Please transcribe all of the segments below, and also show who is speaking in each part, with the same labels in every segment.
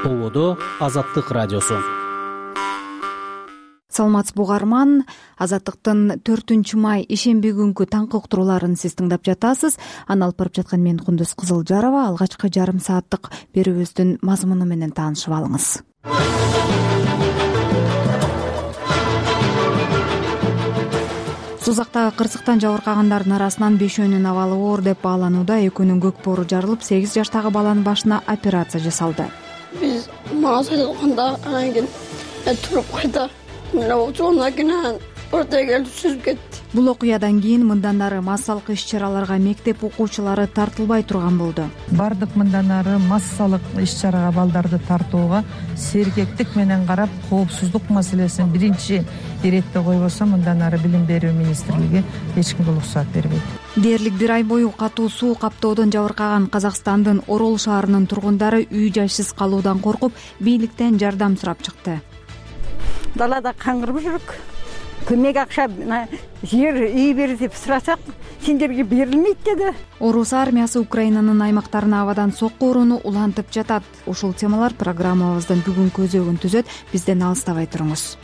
Speaker 1: ТОВОдо Азаттык радиосу.
Speaker 2: Саламатсызбы угарман, Азаттыктын 4 май ишемби күнкү таңкы уктурууларын сиз тыңдап жатасыз. Аны алып барып жаткан мен Кундуз Кызылжарова. Алгачкы жарым сааттык берүүбүздүн мазмуну менен таанышып алыңыз. Сузактагы кырсыктан жабыркагандардын арасынан 5өөнүн абалы оор деп бааланууда. Экөөнүн көк боору жарылып, 8 жаштагы баланын башына операция жасалды.
Speaker 3: Биз мага айтканда анан кийин туруп кайта жолуна кийин ортого келип сүзүп кетти.
Speaker 2: Бул окуядан кийин мындан ары массалык иш-чараларга мектеп окуучулары тартылбай турган болду.
Speaker 4: Бардык мындан ары массалык иш-чарага балдарды тартууга сергектик менен карап, коопсуздук маселесин биринчи иретте койбосо мындан ары билим берүү министрлиги эч кимге уруксаат бербейт.
Speaker 2: Дээрлик 1 ай бою катуу суу каптоодон жабыркаган Казакстандын Орол шаарынын тургундары үй жайсыз калуудан коркуп, бийликтен жардам сурап чыкты.
Speaker 5: Далада каңгырып жүрүк. Көмөк акча, жер үй бер деп сурасак, сендерге берилмейт деди.
Speaker 2: Орус армиясы Украинанын аймактарына абадан сокку урууну улантып жатат. Ушул темалар программабыздын бүгүнкү өзөгүн түзөт. Бизден алыстабай туруңуз.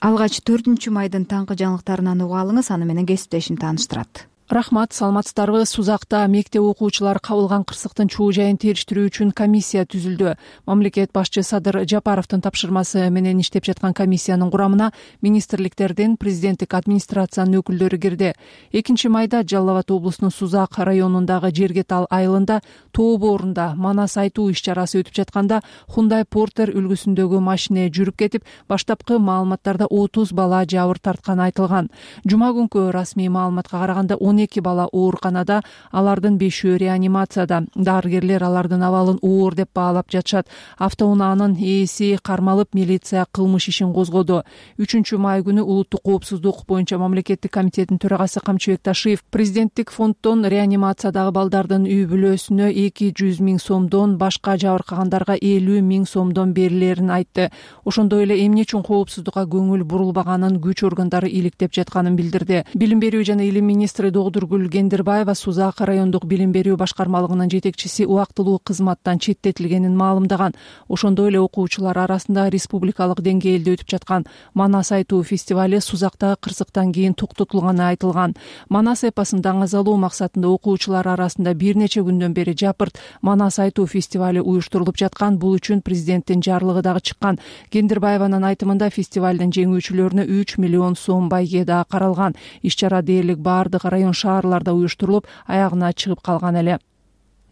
Speaker 2: Алгач 4 майдын таңкы жаңылыктарынан угуп алыңыз, аны менен кесиптешим тааныштырат.
Speaker 6: Рахмат, саламатсыздарбы. Сузакта мектеп окуучулары кабылган кырсыктын чуу жайын териштирүү үчүн комиссия түзүлдү. Мамлекет башчы Садыр Жапаровдун тапшырмасы менен иштеп жаткан комиссиянын курамына министрликтердин, президенттик администрациянын өкүлдөрү кирди. 2 майда Жалал Абад облусунун Сузак районундагы Жергетал айылында тоо боорунда манас айтуу иш-чарасы өтүп жатканда Hyundai Porter үлгүсүндөгү машине жүрүп кетип, баштапкы маалыматтарда 30 бала жабыр тартканы айтылган. Жума күнкү расмий маалыматка караганда 12 бала ооруканада, алардын 5-өө реанимацияда. Дарыгерлер алардын абалын оор деп баалап жатышат. Автоунаанын ээси кармалып, милиция кылмыш ишин козгоду. 3 май күнү улуттук коопсуздук боюнча мамлекеттик комитеттин төрагасы Камчыбек Ташиев президенттик фонддон реанимациядагы балдардын үй бүлөсүнө 200 000 сомдон, башка жабыркагандарга 50 000 сомдон берилерин айтты. Ошондой эле эмне үчүн коопсуздукка көңүл бурулбаганын күч органдары иликтеп жатканын билдирди. Билим берүү жана илим министри Догдургүл Кендирбаева Сузак райондук билим берүү башкармалыгынын жетекчиси убактылуу кызматтан четтетилгенин маалымдаган. Ошондой эле окуучулар арасында республикалык деңгээлде өтүп жаткан Манас айтуу фестивали Сузактагы кырсыктан кийин токтотулганы айтылган. Манас эпосун даңазалоо максатында окуучулар арасында бир нече күндөн бери Жапырт Манас айтуу фестивали уюштурулуп жаткан. Бул үчүн президенттин жарлыгы дагы чыккан. Кендирбаеванын айтымында фестивалдын жеңүүчүлөрүнө 3 миллион сом байге да каралган. Иш-чара дээрлик бардык район шаарларда уюштурулуп, аягына чыгып калган эле.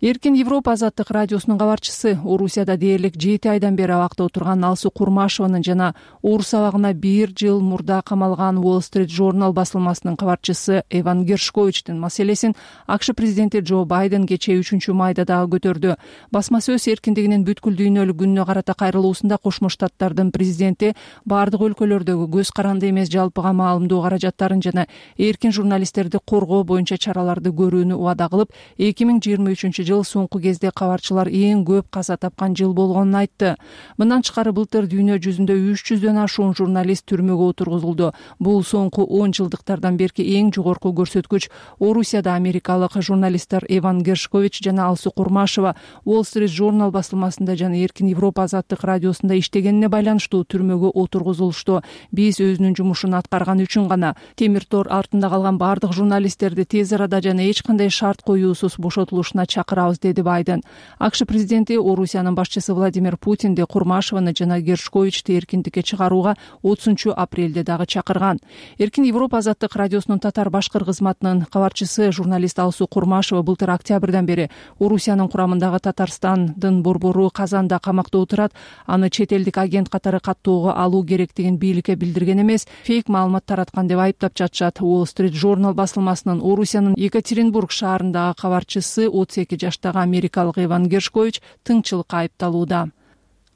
Speaker 6: Эркин Европа Азаттык радиосунун кабарчысы, Орусияда дээрлик 7 айдан бери абакта отурган Алсу Курмашеванын жана Орус абагына 1 жыл мурда камалган Wall Street Journal басылмасынын кабарчысы Эван Гершковичтин маселесин АКШ президенти Джо Байден кечээ 3 майда дагы көтөрдү. Басма сөз эркиндигинин бүткүл дүйнөлүк күнүнө карата кайрылуусунда Кошмо Штаттардын президенти бардык өлкөлөрдөгү көз каранды эмес жалпыга маалымдоо каражаттарын жана эркин журналисттерди коргоо боюнча чараларды көрүүнү убада кылып, 2023 соңку кезде кабарчылар эң көп каза тапкан жыл болгонун айтты. Мындан тышкары былтыр дүйнө жүзүндө 300дөн ашуун журналист түрмөгө отургузулду. Бул соңку 10 жылдыктардан берки эң жогорку көрсөткүч. Орусияда америкалык журналисттер Эван Гершкович жана Алсу Курмашева Wall Street Journal басылмасында жана Эркин Европа Азаттык радиосунда иштегенине байланыштуу түрмөгө отургузулушту. Биз өзүнүн жумушун аткарган үчүн гана темир тор артында калган бардык журналисттерди тез арада жана эч кандай шарт коюусуз бошотулушуна чакырабыз, деди Байден. АКШ президенти Орусиянын башчысы Владимир Путинди Курмашеваны жана Гершковичти эркиндикке чыгарууга 30-апрелде дагы чакырган. Эркин Европа Азаттык радиосунун татар-башкыр кызматынын кабарчысы журналист Алсу Курмашева былтыр октябрдан бери Орусиянын курамындагы Татарстандын борбору Казанда камакта отурат. Аны чет элдик агент катары каттоого алуу керектигин бийликке билдирген эмес, фейк маалымат тараткан деп айыптап жатышат. Wall Street Journal басылмасынын Орусиянын Екатеринбург шаарындагы кабарчысы 32 жаштагы америкалык Эван Гершкович тыңчылыкка айыпталууда.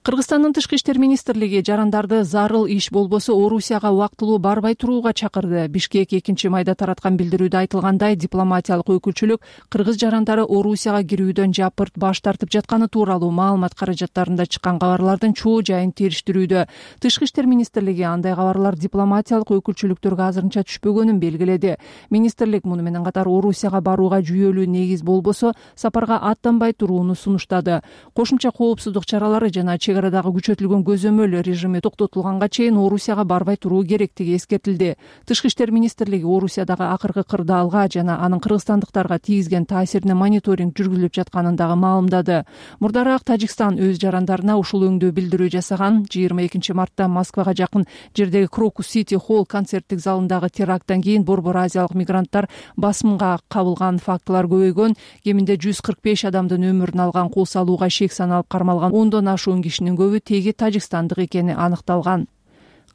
Speaker 6: Кыргызстандын Тышкы иштер министрлиги жарандарды зарыл иш болбосо Орусияга убактылуу барбай турууга чакырды. Бишкек 2-майда тараткан билдирүүдө айтылгандай, дипломатиялык өкүлчүлүк кыргыз жарандары Орусияга кирүүдөн жапырт баш тартып жатканы тууралуу маалымат каражаттарында чыккан кабарлардын чоо жайын териштирүүдө. Тышкы иштер министрлиги андай кабарлар дипломатиялык өкүлчүлүктөргө азырынча түшпөгөнүн белгиледи. Министрлик муну менен катар Орусияга барууга жүйөлүү негиз болбосо сапарга аттанбай турууну сунуштады. Кошумча коопсуздук чаралары жана чек-арадагы күчөтүлгөн көзөмөл режими токтотулганга чейин Орусияга барбай туруу керектиги эскертилди. Тышкы иштер министрлиги Орусиядагы акыркы кырдаалга жана анын кыргызстандыктарга тийгизген таасирине мониторинг жүргүзүлүп жатканын дагы маалымдады. Мурдараак Тажикстан өз жарандарына ушул өңдүү билдирүү жасаган. 22-мартта Москвага жакын жердеги Крокус Сити Холл концерттик залындагы теракттан кийин борбор азиялык мигранттар басымга кабылган фактылар көбөйгөн. Кеминде 145 адамдын өмүрүн алган кол салууга шек саналып кармалган 10дон ашуун кишинин көбү теги тажикстандык экени аныкталган.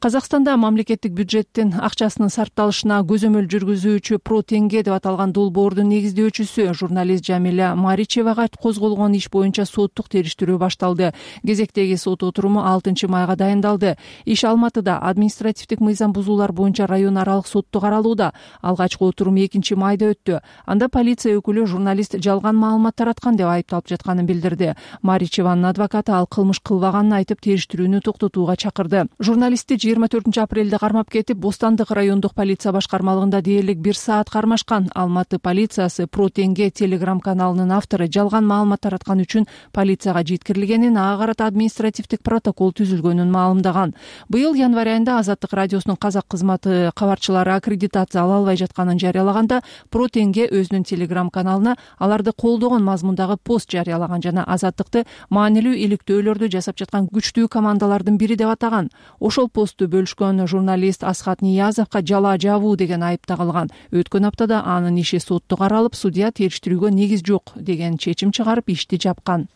Speaker 6: Казакстанда мамлекеттик бюджеттин акчасынын сарпталышына көзөмөл жүргүзүүчү Про Тенге деп аталган долбоордун негиздөөчүсү журналист Жамиля Маричевага козголгон иш боюнча соттук териштирүү башталды. Кезектеги сот отуруму 6-майга дайындалды. Иш Алматыда административдик мыйзам бузуулар боюнча район аралык сотто каралууда. Алгачкы отурум 2-майда өттү. Анда полиция өкүлү журналист жалган маалымат тараткан деп айыпталып жатканын билдирди. Маричеванын адвокаты ал кылмыш кылбаганын айтып териштирүүнү токтотууга чакырды. Журналистти 24-апрелде кармап кетип, Бостандык райондук полиция башкармалыгында дээрлик 1 саат кармашкан. Алматы полициясы Про Тенге телеграм-каналынын автору жалган маалымат тараткан үчүн полицияга жеткирилгенин, ага карата административдик протокол түзүлгөнүн маалымдаган. Быйыл январь айында Азаттык радиосунун казак кызматы кабарчылары аккредитация ала албай жатканын жарыялаганда, Про Тенге өзүнүн телеграм-каналына аларды колдогон мазмундагы пост жарыялаган жана Азаттыкты маанилүү иликтөөлөрдү жасап жаткан күчтүү командалардын бири деп атаган. Ошол посту бөлүшкөн журналист Асхат Ниязовго жала жабуу деген айып тагылган. Өткөн аптада анын иши сотто каралып, судья териштирүүгө негиз жок деген чечим чыгарып ишти жапкан.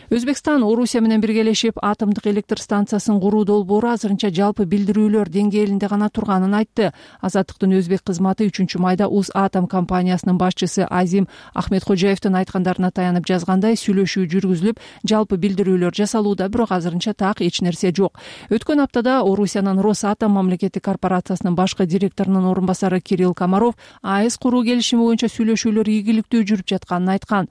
Speaker 6: Өзбекстан Орусия менен биргелешип атомдук электр станциясын куруу долбоору азырынча жалпы билдирүүлөр деңгээлинде гана турганын айтты. Азаттыктын өзбек кызматы 3-майда Атом компаниясынын башчысы Азим Ахмедхожаевдин айткандарына таянып жазгандай, сүйлөшүү жүргүзүлүп, жалпы билдирүүлөр жасалууда, бирок азырынча так эч нерсе жок. Өткөн аптада Орусиянын Росатом мамлекеттик корпорациясынын башкы директорунун орун басары Кирилл Комаров АЭС куруу келишими боюнча сүйлөшүүлөр ийгиликтүү жүрүп жатканын айткан.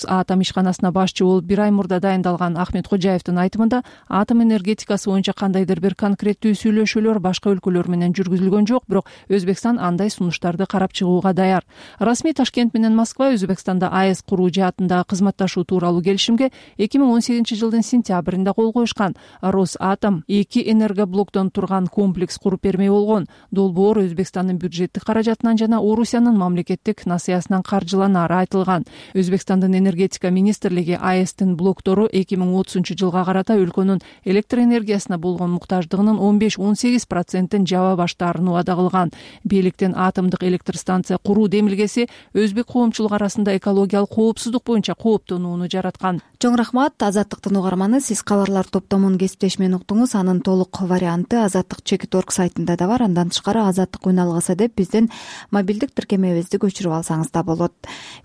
Speaker 6: Атом ишканасына башчы болуп 1 ай мурда дайындалган Ахмедхожаевдин айтымында, атом энергетикасы боюнча кандайдыр бир конкреттүү сүйлөшүүлөр башка өлкөлөр менен жүргүзүлгөн жок, бирок Өзбекстан андай сунуштарды карап чыгууга даяр. Расмий Ташкент менен Москва Өзбекстанда АЭС куруу жаатындагы кызматташуу тууралуу келишимге 2018-жылдын сентябрында кол коюшкан. Росатом 2 энергоблоктон турган комплекс куруп бермей болгон. Долбоор Өзбекстандын бюджеттик каражатынан жана Орусиянын мамлекеттик насыясынан каржыланары айтылган. Өзбекстандын энергетика министрлиги АЭСтин блоктору 2030-жылга карата өлкөнүн электр энергиясына болгон муктаждыгынын 15-18% жаба баштаарын убада кылган. Бийликтин атомдук электр станция куруу демилгеси өзбек коомчулугу арасында экологиялык коопсуздук боюнча кооптонууну жараткан.
Speaker 2: Чоң рахмат. Азаттыктын угарманы, сиз кабарлар топтомун кесиптешмени уктуңуз. Анын толук варианты Азаттык.org сайтында да бар. Андан тышкары Азаттык үн алгысы деп биздин мобилдик тиркемебизди көчүрүп алсаңыз да болот.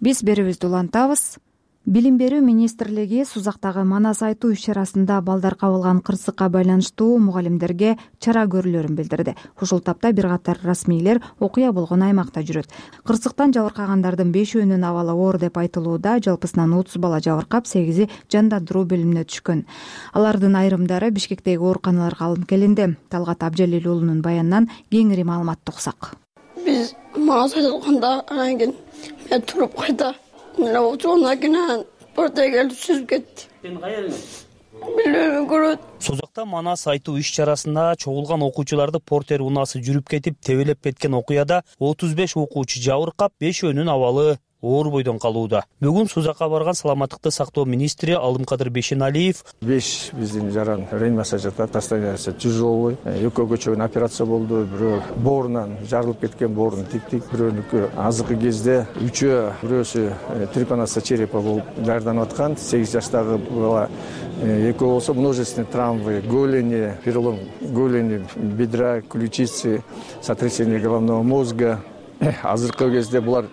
Speaker 2: Биз берүүбүздү улантабыз. Билим берүү министрлиги Сузактагы Манас айтуу иш-чарасында балдар кабылган кырсыкка байланыштуу мугалимдерге чара көрүүлөрүн билдирди. Ушул тапта бир катар расмийлер окуя болгон аймакта жүрөт. Кырсыктан жабыркагандардын 5-өөнүн абалы оор деп айтылууда. Жалпысынан 30 бала жабыркап, 8-и жандандыруу бөлүмүнө түшкөн. Алардын айрымдары Бишкектеги ооруканаларга алынып келинди. Талгат Абжалил уулунун баянынан кеңири маалыматты уксак.
Speaker 3: Биз Манас айтканда анан кийин мен туруп кайта Оона кийин Портегелди сүзүп кетти. Билбейм, көрөт.
Speaker 1: Сузакта Манас айтуу иш-чарасында чогулган окуучуларды портер унаасы жүрүп кетип, тебелеп кеткен окуяда 35 окуучу жабыркап, 5-өөнүн абалы оор бойдон калууда. Бүгүн Сузакка барган саламаттыкты сактоо министри Алымкадыр Бешеналиев 5
Speaker 7: биздин жаран реанимация жатат, состояниясы тяжелый. Экөө көчөгөн операция болду, бирөө боорунан жарылып кеткен, боорун тиктик, бирөөнүкү азыркы кезде 3-өө, бирөөсү трепанация черепа болуп даярданып аткан. 8 жаштагы бала, экөө болсо множественные травмы, голени, перелом голени, бедра, ключицы, сотрясение головного мозга. Азыркы кезде булар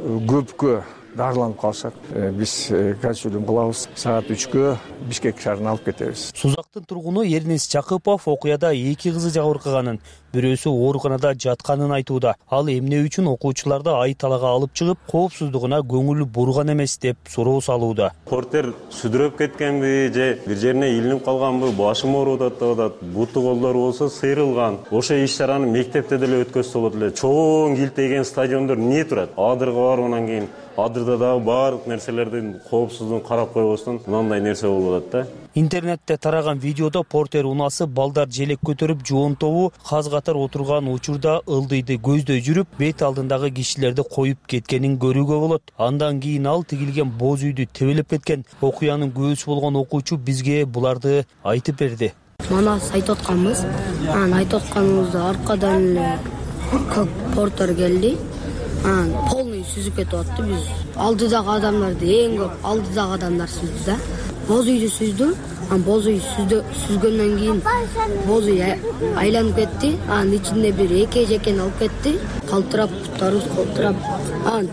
Speaker 7: көпкө дарыланып калышат. Биз консилиум кылабыз. Саат 3кө Бишкек шаарына алып кетебиз.
Speaker 1: Сузактын тургуну Эрнис Жакыпов окуяда 2 кызы жабыркаганын, бирөөсү ооруканада жатканын айтууда. Ал эмне үчүн окуучуларды айталага алып чыгып, коопсуздугуна көңүл бурган эмес деп суроо салууда.
Speaker 8: Портер сүдүрөп кеткенби же бир жерине илинип калганбы, башым ооруп атат, буту колдору болсо сыйрылган. Ошо иш-чараны мектепте деле өткөзсө болот эле. Чоң килтеген стадиондор эмне турат? Адырга барып анан кийин адырда дагы баардык нерселердин коопсуздугун карап койбостон мындай нерсе болуп атат да.
Speaker 1: Интернетте тараган видеодо портер унаасы балдар желек көтөрүп жоон тобу каз катар отурган учурда ылдыйды көздөй жүрүп, бет алдындагы кишилерди коюп кеткенин көрүүгө болот. Андан кийин ал тигилген боз үйдү тебелеп кеткен. Окуянын күүсү болгон окуучу бизге буларды айтып берди.
Speaker 9: Манас айтып атканбыз. Айтып атканыбызда аркадан эле портер келди. Полный сүзүп кетип атты. Биз алдыдагы адамдарды эң көп алдыдагы адамдар сүздү да. Боз үйдү сүздү. Боз үй сүзгөндөн кийин боз үй айланып кетти. Анын ичинде бир эке жекен алып кетти. Калтырап, тарус калтырап.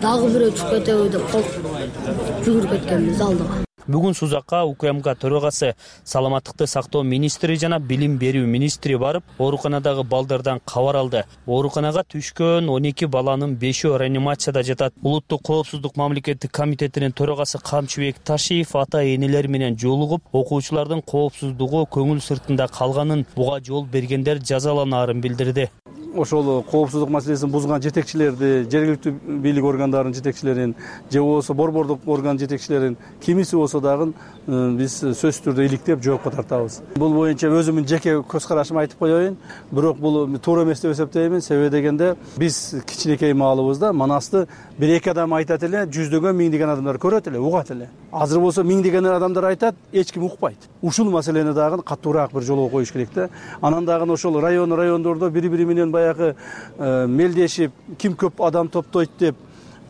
Speaker 9: Дагы бирөө чыгып кетеби деп жүгүрүп кеткенбиз алдыга.
Speaker 1: Бүгүн Сузакка УКМК төрагасы, саламаттыкты сактоо министри жана билим берүү министри барып, ооруканадагы балдардан кабар алды. Ооруканага түшкөн 12 баланын 5-өө реанимацияда жатат. Улуттук коопсуздук мамлекеттик комитетинин төрагасы Камчыбек Ташиев ата-энелер менен жолугуп, окуучулардын коопсуздугу көңүл сыртында калганын, буга жол бергендер жазаланаарын билдирди.
Speaker 10: Ошол коопсуздук маселесин бузган жетекчилерди, жергиликтүү бийлик органдарынын жетекчилерин, же болбосо борбордук орган жетекчилерин кимиси болсо дагы биз сөзсүз түрдө иликтеп жоопко тартабыз. Бул боюнча өзүмдүн жеке көз карашымды айтып коеюн, бирок бул туура эмес деп эсептеймин. Себеби дегенде биз кичинекей маалыбызда Манасты бир эки адам айтат эле, жүздөгөн миңдеген адамдар көрөт эле, угат эле. Азыр болсо миңдеген адамдар айтат, эч ким укпайт. Ушул маселени дагы катуураак бир жолго коюш керек да. Анан дагы ошол райондордо бири-бири менен баягы мелдешип, ким көп адам топтойт деп,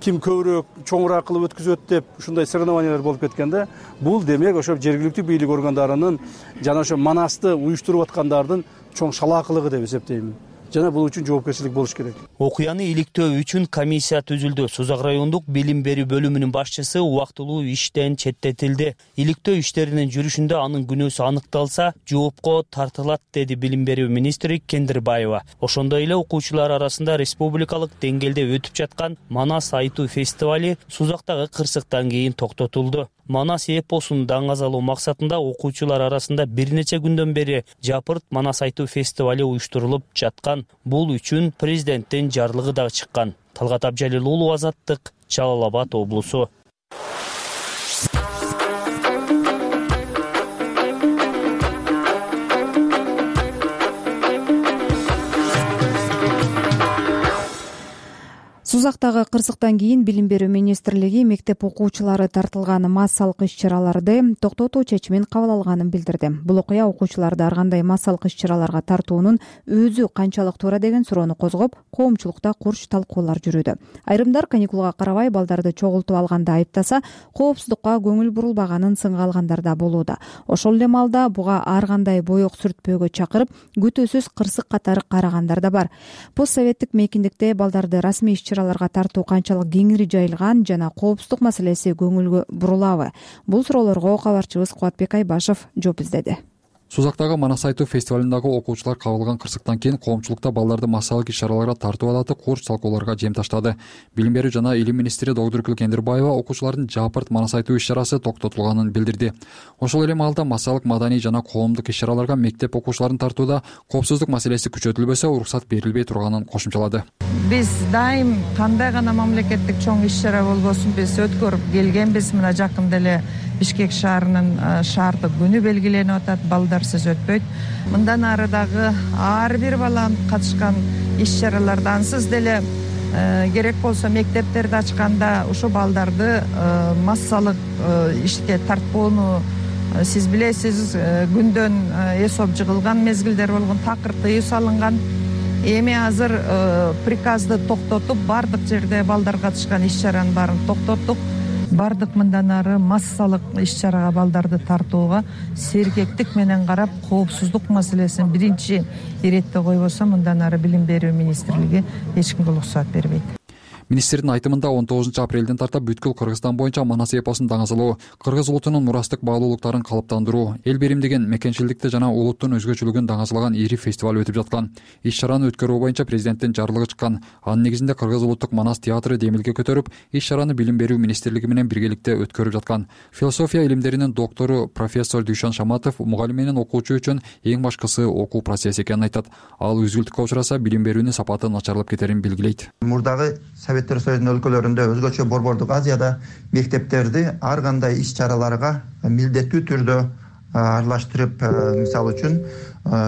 Speaker 10: ким көбүрөөк чоңураак кылып өткүзөт деп ушундай соревнованиялар болуп кеткенде, бул демек ошо жергиликтүү бийлик органдарынын жана ошо Манасты уюштуруп аткандардын чоң шалаакылыгы деп эсептеймин. Жана бул үчүн жоопкерчилик болуш керек.
Speaker 1: Окуяны иликтөө үчүн комиссия түзүлдү. Сузак райондук билим берүү бөлүмүнүн башчысы убактылуу иштен четтетилди. Иликтөө иштеринин жүрүшүндө анын күнөөсү аныкталса, жоопко тартылат, деди билим берүү министри Кендирбаева. Ошондой эле окуучулар арасында республикалык деңгээлде өтүп жаткан Манас айтуу фестивали Сузактагы кырсыктан кийин токтотулду. Манас эпосун даңазалоо максатында окуучулар арасында бир нече күндөн бери Жапырт Манас айтуу фестивали уюштурулуп жаткан. Бул үчүн президенттин жарлыгы да чыккан. Талгат Абжалил уулу, Азаттык, Жалал Абад облусу.
Speaker 2: Сузактагы кырсыктан кийин билим берүү министрлиги мектеп окуучулары тартылган массалык иш-чараларды токтотуу чечимин кабыл алганын билдирди. Бул окуя окуучуларды ар кандай массалык иш-чараларга тартуунун өзү канчалык туура деген суроону козгоп, коомчулукта курч талкуулар жүрүүдө. Айрымдар каникулга карабай балдарды чогултуп алганда айыптаса, коопсуздукка көңүл бурулбаганын сынга алгандар да болууда. Ошол эле маалда буга ар кандай боек сүртпөөгө чакырып, күтүүсүз кырсык катары карагандар да бар. Постсоветтик мейкиндикте балдарды расмий иш-чараларга тартуу канчалык кеңири жайылган жана коопсуздук маселеси көңүлгө бурулабы? Бул суроолорго кабарчыбыз Кубатбек Айбашев жооп издеди.
Speaker 11: Сузактагы Манас айтуу фестивалындагы окуучулар кабылган кырсыктан кийин коомчулукта балдарды массалык иш-чараларга тартуу алаты курч талкууларга жем таштады. Билим берүү жана илим министри доктор Кендирбаева окуучулардын Жапырт Манас айтуу иш-чарасы токтотулганын билдирди. Ошол эле маалда массалык маданий жана коомдук иш-чараларга мектеп окуучуларын тартууда коопсуздук маселеси күчөтүлбөсө уруксат берилбей турганын кошумчалады.
Speaker 4: Биз дайым кандай гана мамлекеттик чоң иш-чара болбосун биз өткөрүп келгенбиз. Мына жакында эле Бишкек шаарынын шаардык күнү белгиленип атат. Балдарсыз өтпөйт. Мындан ары дагы ар бир бала катышкан иш-чараларда ансыз деле керек болсо мектептерди ачканда ошо балдарды массалык ишке тартпоону сиз билесиз, күндөн эсоп жыгылган мезгилдер болгон, такыр тыюу салынган. Эми азыр приказды токтотуп, бардык жерде балдар катышкан иш-чаранын баарын токтоттук. Бардык мындан ары массалык иш-чарага балдарды тартууга сергектик менен карап, коопсуздук маселесин биринчи иретте койбосо, мындан ары билим берүү министрлиги эч кимге уруксат бербейт.
Speaker 11: Министрдин айтымында 19 апрелден тарта бүткүл Кыргызстан боюнча манас эпосун даңазалоо, кыргыз улутунун мурастык баалуулуктарын калыптандыруу, эл биримдигин, мекенчилдикти жана улуттун өзгөчөлүгүн даңазалаган ири фестиваль өтүп жаткан. Иш-чараны өткөрүү боюнча президенттин жарлыгы чыккан. Анын негизинде Кыргыз улуттук манас театры демилге көтөрүп, иш-чараны Билим берүү министрлиги менен биргеликте өткөрүп жаткан. Философия илимдеринин доктору профессор Дүйшөн Шаматов мугалим менен окуучу үчүн эң башкысы окуу процесси экенин айтат. Ал үзгүлтүккө учураса билим берүүнүн сапаты начарлап кетерин белгилейт.
Speaker 12: Мурдагы Советтер Союзунун өлкөлөрүндө, өзгөчө Борбордук Азияда мектептерди ар кандай иш-чараларга милдеттүү түрдө аралаштырып, мисалы үчүн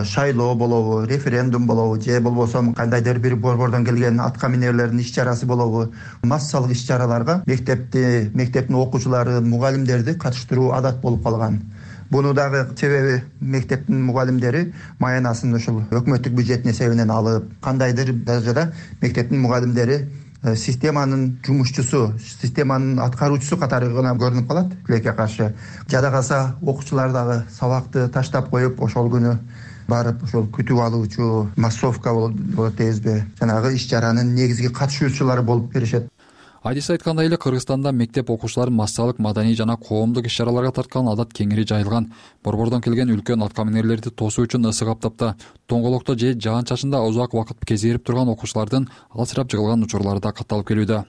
Speaker 12: шайлоо болобу, референдум болобу, же болбосо кандайдыр бир борбордон келген атка минерлердин иш-чарасы болобу, массалык иш-чараларга мектептин окуучулары, мугалимдерди катыштыруу адат болуп калган. Буну дагы себеби мектептин мугалимдери маянасын ушул өкмөттүк бюджеттин эсебинен алып, кандайдыр даражада мектептин мугалимдери системанын жумушчусу, системанын аткаруучусу катары гана көрүнүп калат тилекке каршы. Жада калса окуучулар дагы сабакты таштап коюп, ошол күнү барып ошол күтүп алуучу массовка болот дейбизби, жанагы иш-чаранын негизги катышуучулары болуп беришет.
Speaker 11: Айдис айткандай эле Кыргызстанда мектеп окуучуларын массалык, маданий жана коомдук иш-чараларга тарткан адат кеңири жайылган. Борбордон келген үлкөн атка минерлерди тосуу үчүн ысык аптапта, тоңголокто же жаан-чачында узак убакыт кезирип турган окуучулардын алсырап жыгылган учурлары да катталып келүүдө.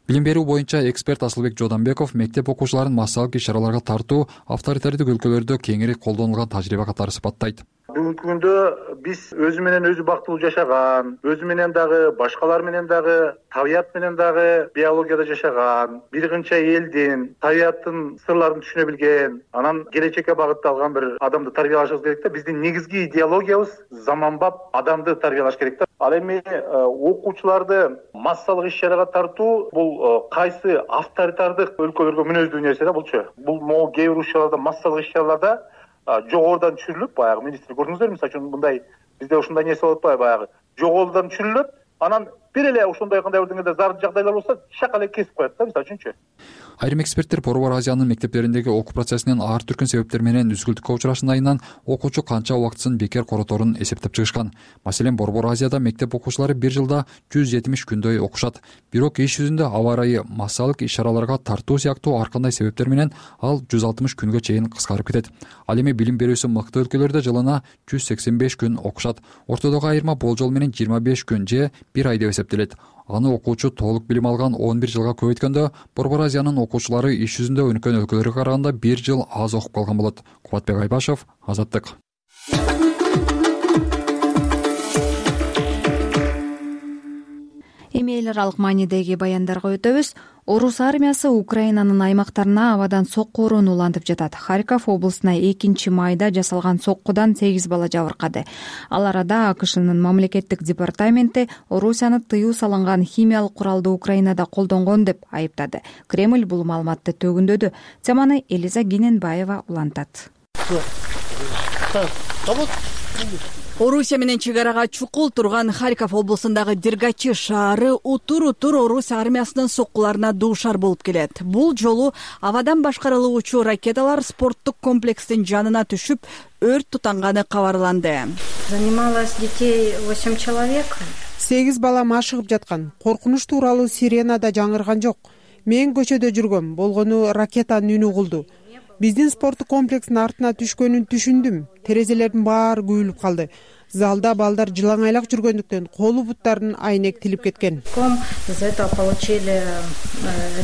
Speaker 11: Билим берүү боюнча эксперт Асылбек Жодонбеков мектеп окуучуларын массалык иш-чараларга тартуу авторитардык өлкөлөрдө кеңири колдонулган тажрыйба катары сыпаттайт.
Speaker 13: Бүгүнкү күндө биз өзү менен өзү бактылуу жашаган, өзү менен дагы, башкалар менен дагы, табият менен дагы биологияда жашаган, бир кынча элдин табияттын сырларын түшүнө билген, анан келечекке багытталган бир адамды тарбиялашыбыз керек да. Биздин негизги идеологиябыз заманбап адамды тарбиялаш керек да. Ал эми окуучуларды массалык иш-чарага тартуу бул кайсы авторитардык өлкөлөргө мүнөздүү нерсе да булчу. Бул могу кээ бир учурларда массалык иш-чараларда жогорудан түшүрүлүп, баягы министр көрдүңүздөрбү, мисалы үчүн мындай бизде ушундай нерсе болуп атпайбы, баягы жогорудан түшүрүлөт, анан бир эле ошондой кандай бир деңгээлде зар жагдайлар болсо шак эле кесип коет да, мисалы үчүнчү.
Speaker 11: Айрым эксперттер Борбор Азиянын мектептериндеги окуу процессинин ар түркүн себептер менен үзгүлтүккө учурашындайынан окуучу канча убактысын бекер короторун эсептеп чыгышкан. Маселен, Борбор Азияда мектеп окуучулары бир жылда 170 күндөй окушат. Бирок иш жүзүндө аба ырайы, массалык иш-чараларга тартуу сыяктуу ар кандай себептер менен ал 160 күнгө чейин кыскарып кетет. Ал эми билим берүүсү мыкты өлкөлөрдө жылына 185 күн окушат. Ортодогу айырма болжол менен 25 күн же 1 ай деп эсептелет. Аны окуучу толук билим алган 11 жылга көбөйткөндө Борбор Азиянын окуучулары иш жүзүндө өнүккөн өлкөлөргө караганда 1 жыл аз окуп калган болот. Кубатбек Айбашев, Азаттык.
Speaker 2: Эми эл аралык маанидеги баяндарга өтөбүз. Орус армиясы Украинанын аймактарына абадан сокку уруун улантып жатат. Харьков облусуна 2 майда жасалган соккудан 8 бала жабыркады. Ал арада АКШнын мамлекеттик департаменти Орусияны тыюу салынган химиялык куралды Украинада колдонгон деп айыптады. Кремль бул маалыматты төгүндөдү. Теманы Элиза Гененбаева улантат.
Speaker 14: Орусия менен чек арага чукул турган Харьков облусундагы Дергачи шаары утур Орус армиясынын соккуларына дуушар болуп келет. Бул жолу абадан башкарылуучу ракеталар спорттук комплекстин жанына түшүп, өрт тутанганы кабарланды.
Speaker 15: Занималось детей 8 человек. 8 бала машыгып жаткан. Коркунуч тууралуу сирена да жаңырган жок. Мен көчөдө жүргөм, болгону ракетанын үнү угулду. Биздин спорттук комплекстин артына түшкөнүн түшүндүм. Терезелердин баары күйүлүп калды. Залда балдар жылаңайлак жүргөндүктөн колу буттарын айнек тилип кеткен. Из этого получили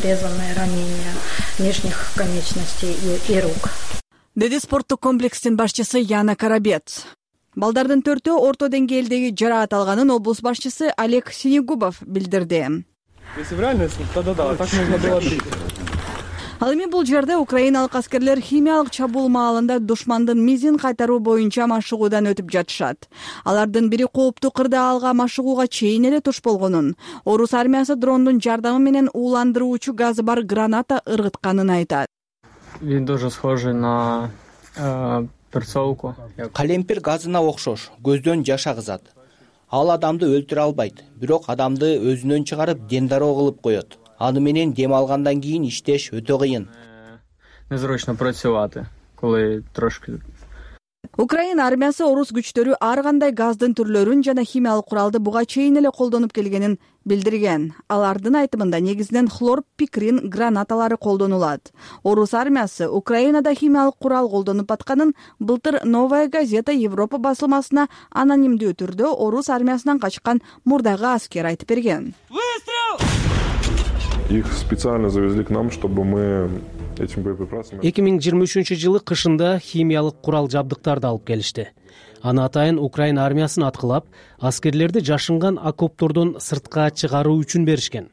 Speaker 15: резаные ранения нижних конечностей и рук.
Speaker 14: Деди спорттук комплекстин башчысы Яна Карабец. Балдардын 4-өө орто деңгээлдеги жараат алганын облус башчысы Олег Синегубов билдирди.
Speaker 16: Если в реальности, тогда да, так нужно было бить.
Speaker 14: Ал эми бул жерде украиналык аскерлер химиялык чабуул маалында душмандын мизин кайтаруу боюнча машыгуудан өтүп жатышат. Алардын бири кооптуу кырдаалга машыгууга чейин эле туш болгонун, Орус армиясы дрондун жардамы менен ууландыруучу газы бар граната ыргытканын айтат.
Speaker 16: Вид тоже схожий на перцовку.
Speaker 17: Калемпир газына окшош, көздөн жаш агызат. Ал адамды өлтүрө албайт, бирок адамды өзүнөн чыгарып дендароо кылып коет. Аны менен дем алгандан кийин иштеш өтө кыйын.
Speaker 16: Незручно працювати, коли трошки.
Speaker 14: Украина армиясы орус күчтөрү ар кандай газдын түрлөрүн жана химиялык куралды буга чейин эле колдонуп келгенин билдирген. Алардын айтымында негизинен хлорпикрин гранаталары колдонулат. Орус армиясы Украинада химиялык курал колдонуп атканын былтыр Новая газета Европа басылмасына анонимдүү түрдө орус армиясынан качкан мурдагы аскер айтып берген.
Speaker 18: Их специально завезли к нам, чтобы мы этим боеприпасами...
Speaker 19: 2023-жылы кышында химиялык курал жабдыктарды алып келишти. Аны атайын Украина армиясын аткылап, аскерлерди жашынган окоптордон сыртка чыгаруу үчүн беришкен.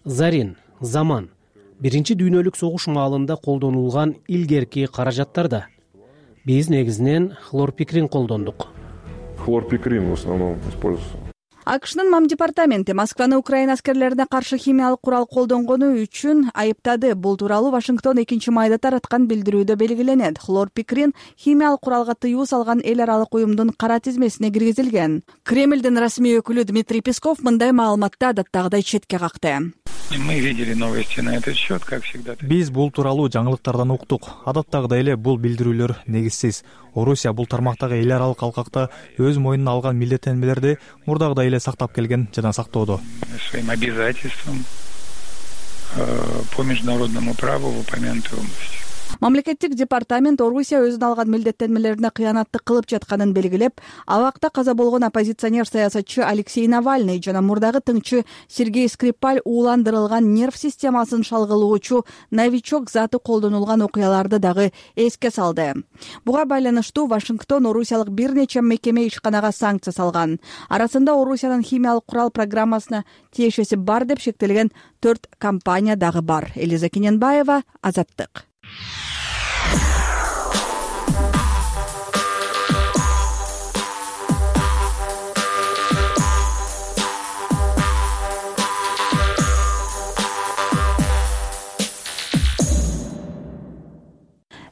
Speaker 19: Зарин, Заман, Биринчи дүйнөлүк согуш маалында колдонулган илгерки каражаттарда. Биз негизинен хлорпикрин колдондук.
Speaker 18: Хлорпикрин в основном используется.
Speaker 14: АКШнын МАМ департаменти Москваны Украина аскерлерине каршы химиялык курал колдонгону үчүн айыптады. Бул тууралуу Вашингтон 2 майда тараткан билдирүүдө белгиленет. Хлорпикрин химиялык куралга тыюу салган эл аралык уюмдун кара тизмесине киргизилген. Кремлдин расмий өкүлү Дмитрий Песков мындай маалыматты адаттагыдай четке какты.
Speaker 20: Мы видели новости на этот счет, как всегда.
Speaker 21: Биз бул тууралуу жаңылыктардан уктук. Адаттагыдай эле бул билдирүүлөр негизсиз. Орусия бул тармактагы эл аралык алкакта өз мойнуна алган милдеттенмелерди мурдагыдай эле сактап келген жана сактоодо.
Speaker 20: Своим обязательствам по международному праву в упомянутой области.
Speaker 14: Мамлекеттик департамент Орусия өзүнө алган милдеттенмелерине кыянаттык кылып жатканын белгилеп, абакта каза болгон оппозиционер саясатчы Алексей Навальный жана мурдагы тыңчы Сергей Скрипаль ууландырылган нерв системасын шалгылоочу новичок заты колдонулган окуяларды дагы эске салды. Буга байланыштуу Вашингтон орусиялык бир нече мекеме ишканага санкция салган. Арасында Орусиянын химиялык курал программасына тиешеси бар деп шектелген 4 компания дагы бар. Элиза Кененбаева, Азаттык.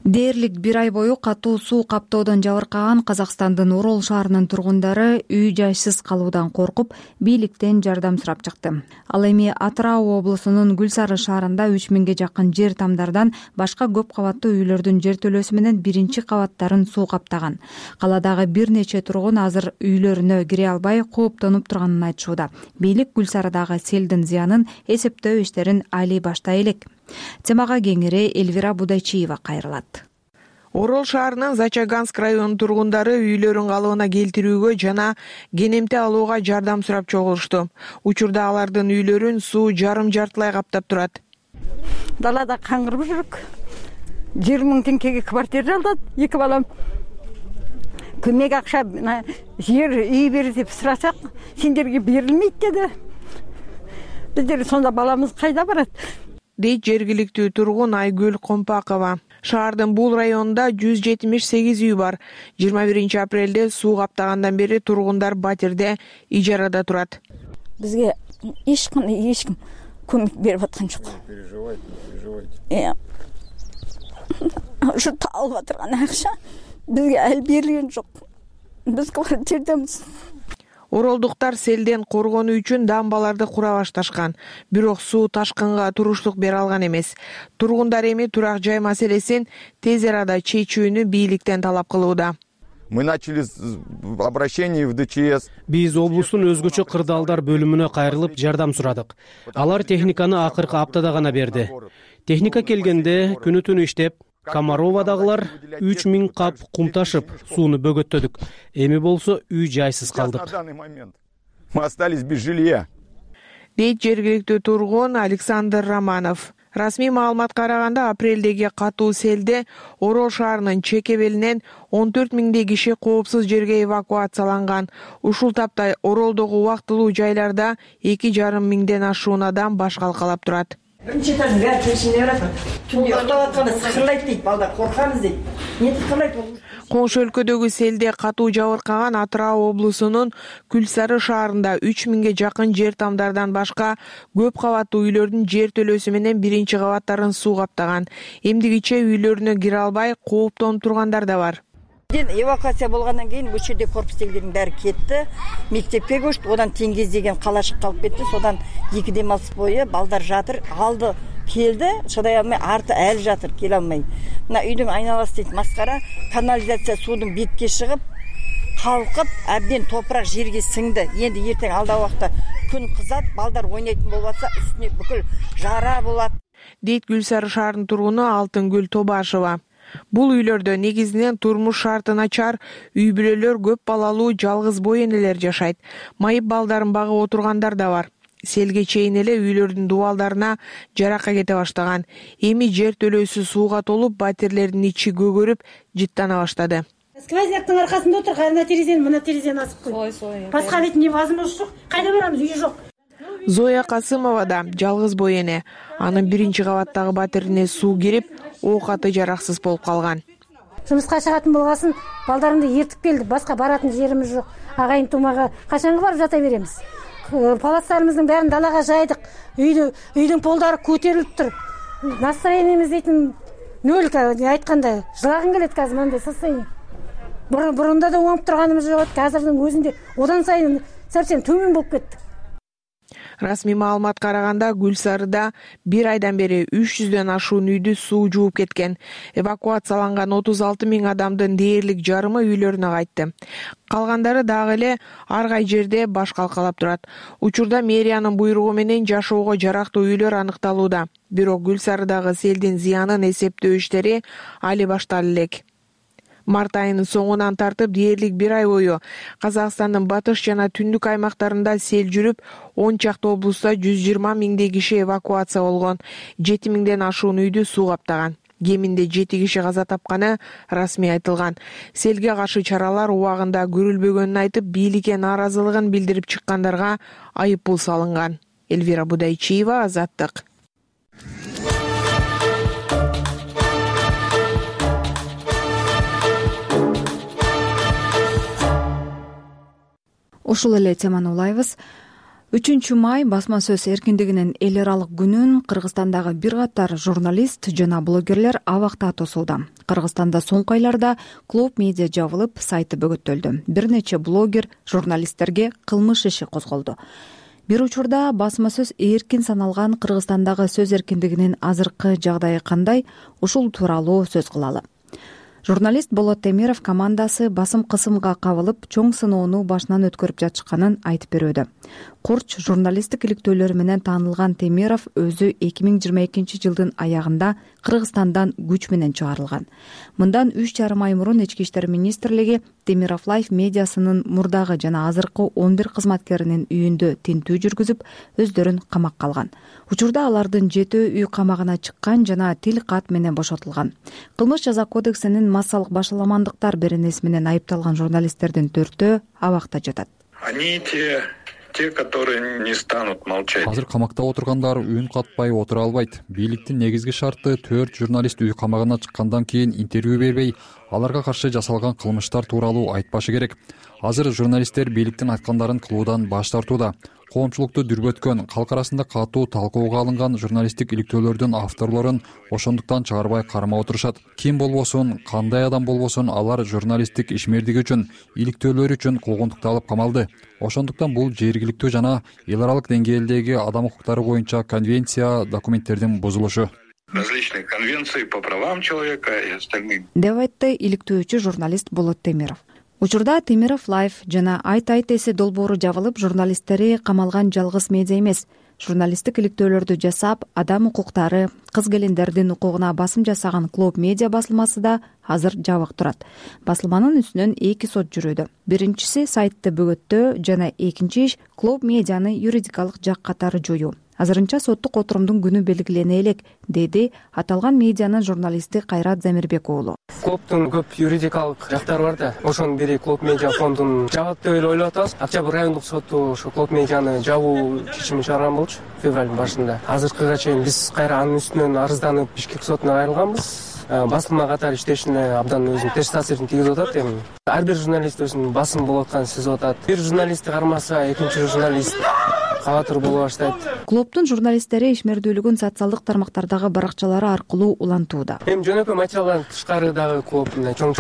Speaker 2: Дээрлик 1 ай бою катуу суу каптоодон жабыркаган Казакстандын Орол шаарынын тургундары үй жайсыз калуудан коркуп, бийликтен жардам сурап чыкты. Ал эми Атырау облусунун Гүл Сары шаарында 3000ге жакын жер тамдардан башка көп кабаттуу үйлөрдүн жертөлөсү менен биринчи кабаттарын суу каптаган. Каладагы бир нече тургун азыр үйлөрүнө кире албай кооптонуп турганын айтышууда. Бийлик Гүл Сарыдагы селдин зыянын эсептөө иштерин али баштай элек. Темага кеңири Эльвира Будайчиева кайрылат.
Speaker 22: Орол шаарынын Зачаганск районунун тургундары үйлөрүн калыбына келтирүүгө жана кенемте алууга жардам сурап чогулушту. Учурда алардын үйлөрүн суу жарым-жартылай каптап турат.
Speaker 5: Далада каңгырып жүрүк. 20 000 теңгеге квартира алдат, 2 балам. Көмөк акча, жер үй бер деп сурасак, сендерге берилмейт деди. Биздер сонда баламыз кайда барат?
Speaker 22: Дейт жергиликтүү тургун Айгүл Компакова. Шаардын бул районунда 178 үй бар. 21 апрелде суу каптагандан бери тургундар батирде ижарада турат.
Speaker 5: Бизге эч ким көмөк берип аткан жок. Ушу алып атырган акча бизге ал берилген жок. Биз квартирадамыз.
Speaker 22: Оролдуктар селден коргонуу үчүн дамбаларды кура башташкан. Бирок суу ташкынга туруштук бере алган эмес. Тургундар эми турак жай маселесин тез арада чечүүнү бийликтен талап кылууда.
Speaker 23: Мы начали обращение в ДЧС.
Speaker 19: Биз облустун өзгөчө кырдаалдар бөлүмүнө кайрылып жардам сурадык. Алар техниканы акыркы аптада гана берди. Техника келгенде күнү-түнү иштеп, Комаровадагылар 3000 кап кум ташып, сууну бөгөттөдүк. Эми болсо үй жайсыз калдык.
Speaker 23: Мы остались без жилья.
Speaker 22: Дейт жергиликтүү тургун Александр Романов. Расмий маалыматка караганда апрелдеги катуу селде Орол шаарынын чекебелинен 14 000 киши коопсуз жерге эвакуацияланган. Ушул тапта Оролдогу убактылуу жайларда 2,5 миңден ашуун адам баш калкалап турат.
Speaker 24: Бірінші этаждың бәрі келшінде барады. Түнде ұйықтап жатқанда сықырлайды дейді, балдар қорқамыз дейді. Не сықырлайды ол?
Speaker 22: Коңшу өлкөдөгү селде катуу жабыркаган Атырау облусунун Гүл Сары шаарында 3000ге жакын жер тамдардан башка көп кабаттуу үйлөрдүн жертөлөсү менен биринчи кабаттарын суу каптаган. Эмдигиче үйлөрүнө кире албай кооптонуп тургандар да бар.
Speaker 5: Эвакуация болгондон кийин бул жерде корпустегилердин баары кетти. Мектепке көчтү, одан Теңгез деген калашык калып кетти. Содан 2 демалыс бою балдар жатыр. Алды
Speaker 24: келди, чыдай алмай арты әлі жатыр, келе алмай. Мына үйдің айналасы дейді маскара, канализация судың бетке шығып, қалқып, әбден топырақ жерге сіңді. Енді ертең алдағы уақытта күн қызат, балдар ойнайтын болса, үстіне бүкіл жара болады.
Speaker 22: Дейт Гүлсары шаарынын тургуну Алтынгүл Тобашева. Бул үйлөрдө негизинен турмуш шарты начар үй бүлөлөр, көп балалуу жалгыз бой энелер жашайт. Майып балдарын багып отургандар да бар. Селге чейин эле үйлөрдүн дубалдарына жаракка кете баштаган. Эми жер төлөөсү сууга толуп, батирлердин ичи көгөрүп, жыттана баштады.
Speaker 3: Сквозняктын аркасында отур, кайрына терезени, мына терезени асып кой. Баска бетин невозможно жок. Кайда барамыз, үй жок.
Speaker 22: Зоя Касымова да жалгыз бой эне. Анын биринчи кабаттагы батирине суу кирип, оокаты жараксыз болуп калган.
Speaker 3: Жумушка чыгатын болгосын, балдарымды ертип келди. Башка баратын жерimiz жок. Агайын тумага качанга барып жата беребиз? Паластарымыздын баарын далага жайдык. Үйдүн полдары көтөрүлүп тур. Настроениябыз дейтин нөл, айтканда жылагың келет казыр мындай состояние. Бурунда да оңоп турганыбыз жок, азырдын өзүндө одан сайын совсем төмөн болуп кетти.
Speaker 22: Расмий маалымат караганда Гүлсарыда 1 айдан бери 300дөн ашуун үйдү суу жууп кеткен. Эвакуацияланган 36 000 адамдын дээрлик жарымы үйлөрүнө кайтты. Калгандары дагы эле ар кай жерде баш калкалап турат. Учурда мэриянын буйругу менен жашоого жарактуу үйлөр аныкталууда. Бирок Гүлсарыдагы селдин зыянын эсептөө иштери али башталы элек. Март айынын соңунан тартып дээрлик 1 ай бою Казакстандын батыш жана түндүк аймактарында сел жүрүп, 10 чакты облуста 120 000 киши эвакуация болгон. 7 000ден ашуун үйдү суу каптаган. Кеминде 7 киши каза тапканы расмий айтылган. Селге каршы чаралар убагында көрүлбөгөнүн айтып, бийликке нааразылыгын билдирип чыккандарга айып пул салынган. Элвира Будайчиева, Азаттык.
Speaker 2: Ушул эле теманы улайбыз. 3 май басма сөз эркиндигинин эл аралык күнүн Кыргызстандагы бир катар журналист жана блогерлер абакта тосууда. Кыргызстанда соңку айларда Клуб Медиа жабылып, сайты бөгөттөлдү. Бир нече блогер, журналисттерге кылмыш иши козголду. Бир учурда басма сөз эркин саналган Кыргызстандагы сөз эркиндигинин азыркы жагдайы кандай? Ушул тууралуу сөз кылалы. Журналист Болот Темиров командасы басым кысымга кабылып, чоң сыноону башынан өткөрүп жатышканын айтып берүүдө. Курч журналисттик иликтөөлөр менен таанылган Темиров өзү 2022 жылдын аягында Кыргызстандан күч менен чыгарылган. Мындан 3,5 ай мурун Ички иштер министрлиги Темиров Лайф медиасынын мурдагы жана азыркы 11 кызматкеринин үйүндө тинтүү жүргүзүп, өздөрүн камакка алган. Учурда алардын 7 үй камагына чыккан жана тил кат менен бошотулган. Кылмыш жаза кодексинин массалык башаламандыктар беренеси менен айыпталган журналисттердин 4-өө абакта жатат.
Speaker 20: Они те, которые не станут молчать.
Speaker 11: Азыр камакта отургандар үн катпай отура албайт. Бийликтин негизги шарты 4 журналист үй камагына чыккандан кийин интервью бербей, аларга каршы жасалган кылмыштар тууралуу айтпашы керек. Азыр журналисттер бийликтин айткандарын кылуудан баш тартууда. Коомчулукту дүрбөткөн, калк арасында катуу талкууга алынган журналисттик иликтөөлөрдүн авторлорун ошондуктан чыгарбай кармап отурушат. Ким болбосун, кандай адам болбосун, алар журналисттик ишмердиги үчүн, иликтөөлөрү үчүн куугунтукталып камалды. Ошондуктан бул жергиликтүү жана эл аралык деңгээлдеги адам укуктары боюнча конвенция документтердин бузулушу.
Speaker 20: Различные конвенции по правам человека и остальные.
Speaker 2: Деп айтты иликтөөчү журналист Болот Темиров. Учурда Темиров Лайф жана Айт эси долбоору жабылып, журналисттери камалган жалгыз медиа эмес. Журналисттик иликтөөлөрдү жасап, адам укуктары, кыз-келиндердин укугуна басым жасаган Клуб Медиа басылмасы да азыр жабык турат. Басылманын үстүнөн 2 сот жүрүүдө. Биринчиси сайтты бөгөттөө жана экинчи иш Клуб Медианы юридикалык жак катары жоюу. Азырынча соттук отурумдун күнү белгилене элек, деди аталган медианын журналисти Кайрат Замирбек уулу.
Speaker 16: Клубтун көп юридикалык жактары бар да. Ошонун бири Клуб Медиа фондун жабат деп эле ойлоп атабыз. Октябрь райондук соту ошо Клуб Медианы жабуу чечимин чыгарган болчу февралдын башында. Азыркыга чейин биз кайра анын үстүнөн арызданып Бишкек сотуна кайрылганбыз. Басылма катары иштешине абдан өзүнүн терс таасирин тийгизип атат эми. Ар бир журналист өзүнүн басым болуп атканын сезип атат. Бир журналистти кармаса, экинчи журналист кабатыр боло баштайт.
Speaker 2: Клубдун журналисттери ишмердүүлүгүн социалдык тармактардагы баракчалары аркылуу улантууда.
Speaker 16: Эми жөнөкөй материалдан тышкары дагы клуб чоң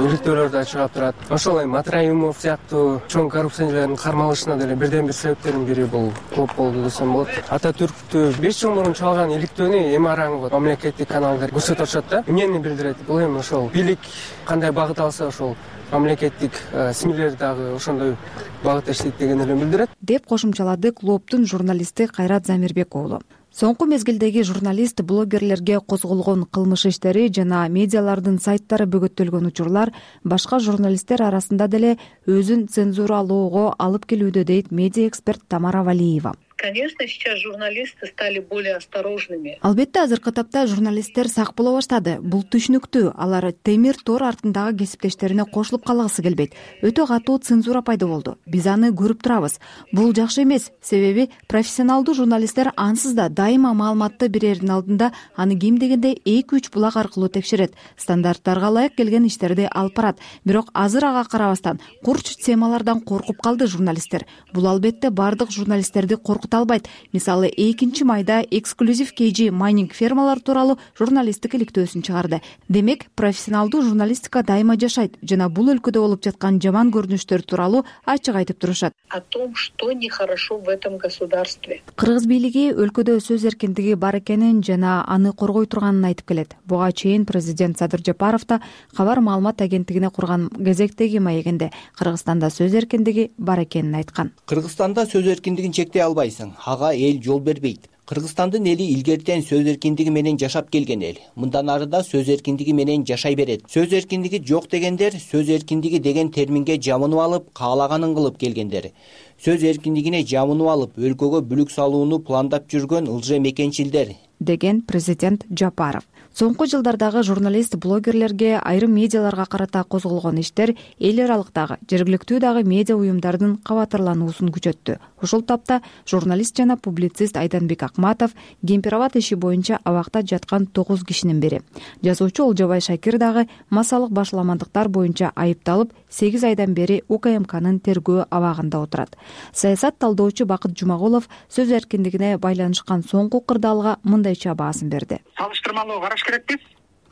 Speaker 16: иликтөөлөр да чыгып турат. Ошол Матраимов сыяктуу чоң коррупционерлердин кармалышына деле бирден бир себептердин бири бул клуб болду десем болот. Ататүрктү 5 жыл мурун чалган иликтөөнү эми араңы мамлекеттик каналдар көрсөтүп атышат да. Эмнени билдирет? Бул эми ошол бийлик кандай багыт алса ошол мамлекеттик СМИлер дагы ошондой багытта иштейт деген эле билдирет,
Speaker 2: деп кошумчалады клубдун журналисти Кайрат Замирбек уулу. Соңку мезгилдеги журналист, блогерлерге козголгон кылмыш иштери жана медиалардын сайттары бөгөттөлгөн учурлар башка журналисттер арасында деле өзүн цензуралоого алып келүүдө, дейт медиа эксперт Тамара Валиева.
Speaker 6: Конечно, сейчас журналисты стали более осторожными.
Speaker 2: Албетте азыркы тапта журналисттер сак боло баштады. Бул түшүнүктүү. Алар темир тор артындагы кесиптештерине кошулуп калгысы келбейт. Өтө катуу цензура пайда болду. Биз аны көрүп турабыз. Бул жакшы эмес. Себеби профессионалдуу журналисттер ансыз да дайыма маалыматты берердин алдында аны кем дегенде 2-3 булак аркылуу текшерет. Стандарттарга ылайык келген иштерди алып барат. Бирок азыр ага карабастан курч темалардан коркуп калды журналисттер. Бул албетте бардык журналисттерди коркута албайт. Мисалы 2 майда эксклюзив KG майнинг фермалар тууралуу журналисттик иликтөөсүн чыгарды. Демек, профессионалдуу журналистика дайыма жашайт жана бул өлкөдө болуп жаткан жаман көрүнүштөр тууралуу ачык айтып турушат.
Speaker 6: О том, что нехорошо в этом государстве.
Speaker 2: Кыргыз бийлиги өлкөдө сөз эркиндиги бар экенин жана аны коргой турганын айтып келет. Буга чейин президент Садыр Жапаров да кабар маалымат агенттигине курган кезектеги маегинде Кыргызстанда сөз эркиндиги бар экенин айткан.
Speaker 17: Кыргызстанда сөз эркиндигин чектей албайсың. Ага эл жол бербейт. Кыргызстандын эли илгертен сөз эркиндиги менен жашап келген эл. Мындан ары да сөз эркиндиги менен жашай берет. Сөз эркиндиги жок дегендер сөз эркиндиги деген терминге жамынып алып, каалаганын кылып келгендер. Сөз эркиндигине жамынып алып, өлкөгө бүлүк салууну пландап жүргөн ылжа мекенчилдер,
Speaker 2: деген президент Жапаров. Соңку жылдардагы журналист, блогерлерге, айрым медиаларга карата козголгон иштер эл аралыктагы, жергиликтүү дагы медиа уюмдардын кабатырлануусун күчөттү. Ушул тапта журналист жана публицист Айданбек Акматов Кемпир-Абад иши боюнча абакта жаткан 9 кишинин бири. Жазуучу Олжобай Шакир дагы массалык башаламандыктар боюнча айыпталып 8 айдан бери УКМКнын тергөө абагында отурат. Саясат талдоочу Бакыт Жумагулов сөз эркиндигине байланышкан соңку кырдаалга мындайча баасын берди.
Speaker 7: Салыштырмалуу караш керекпиз.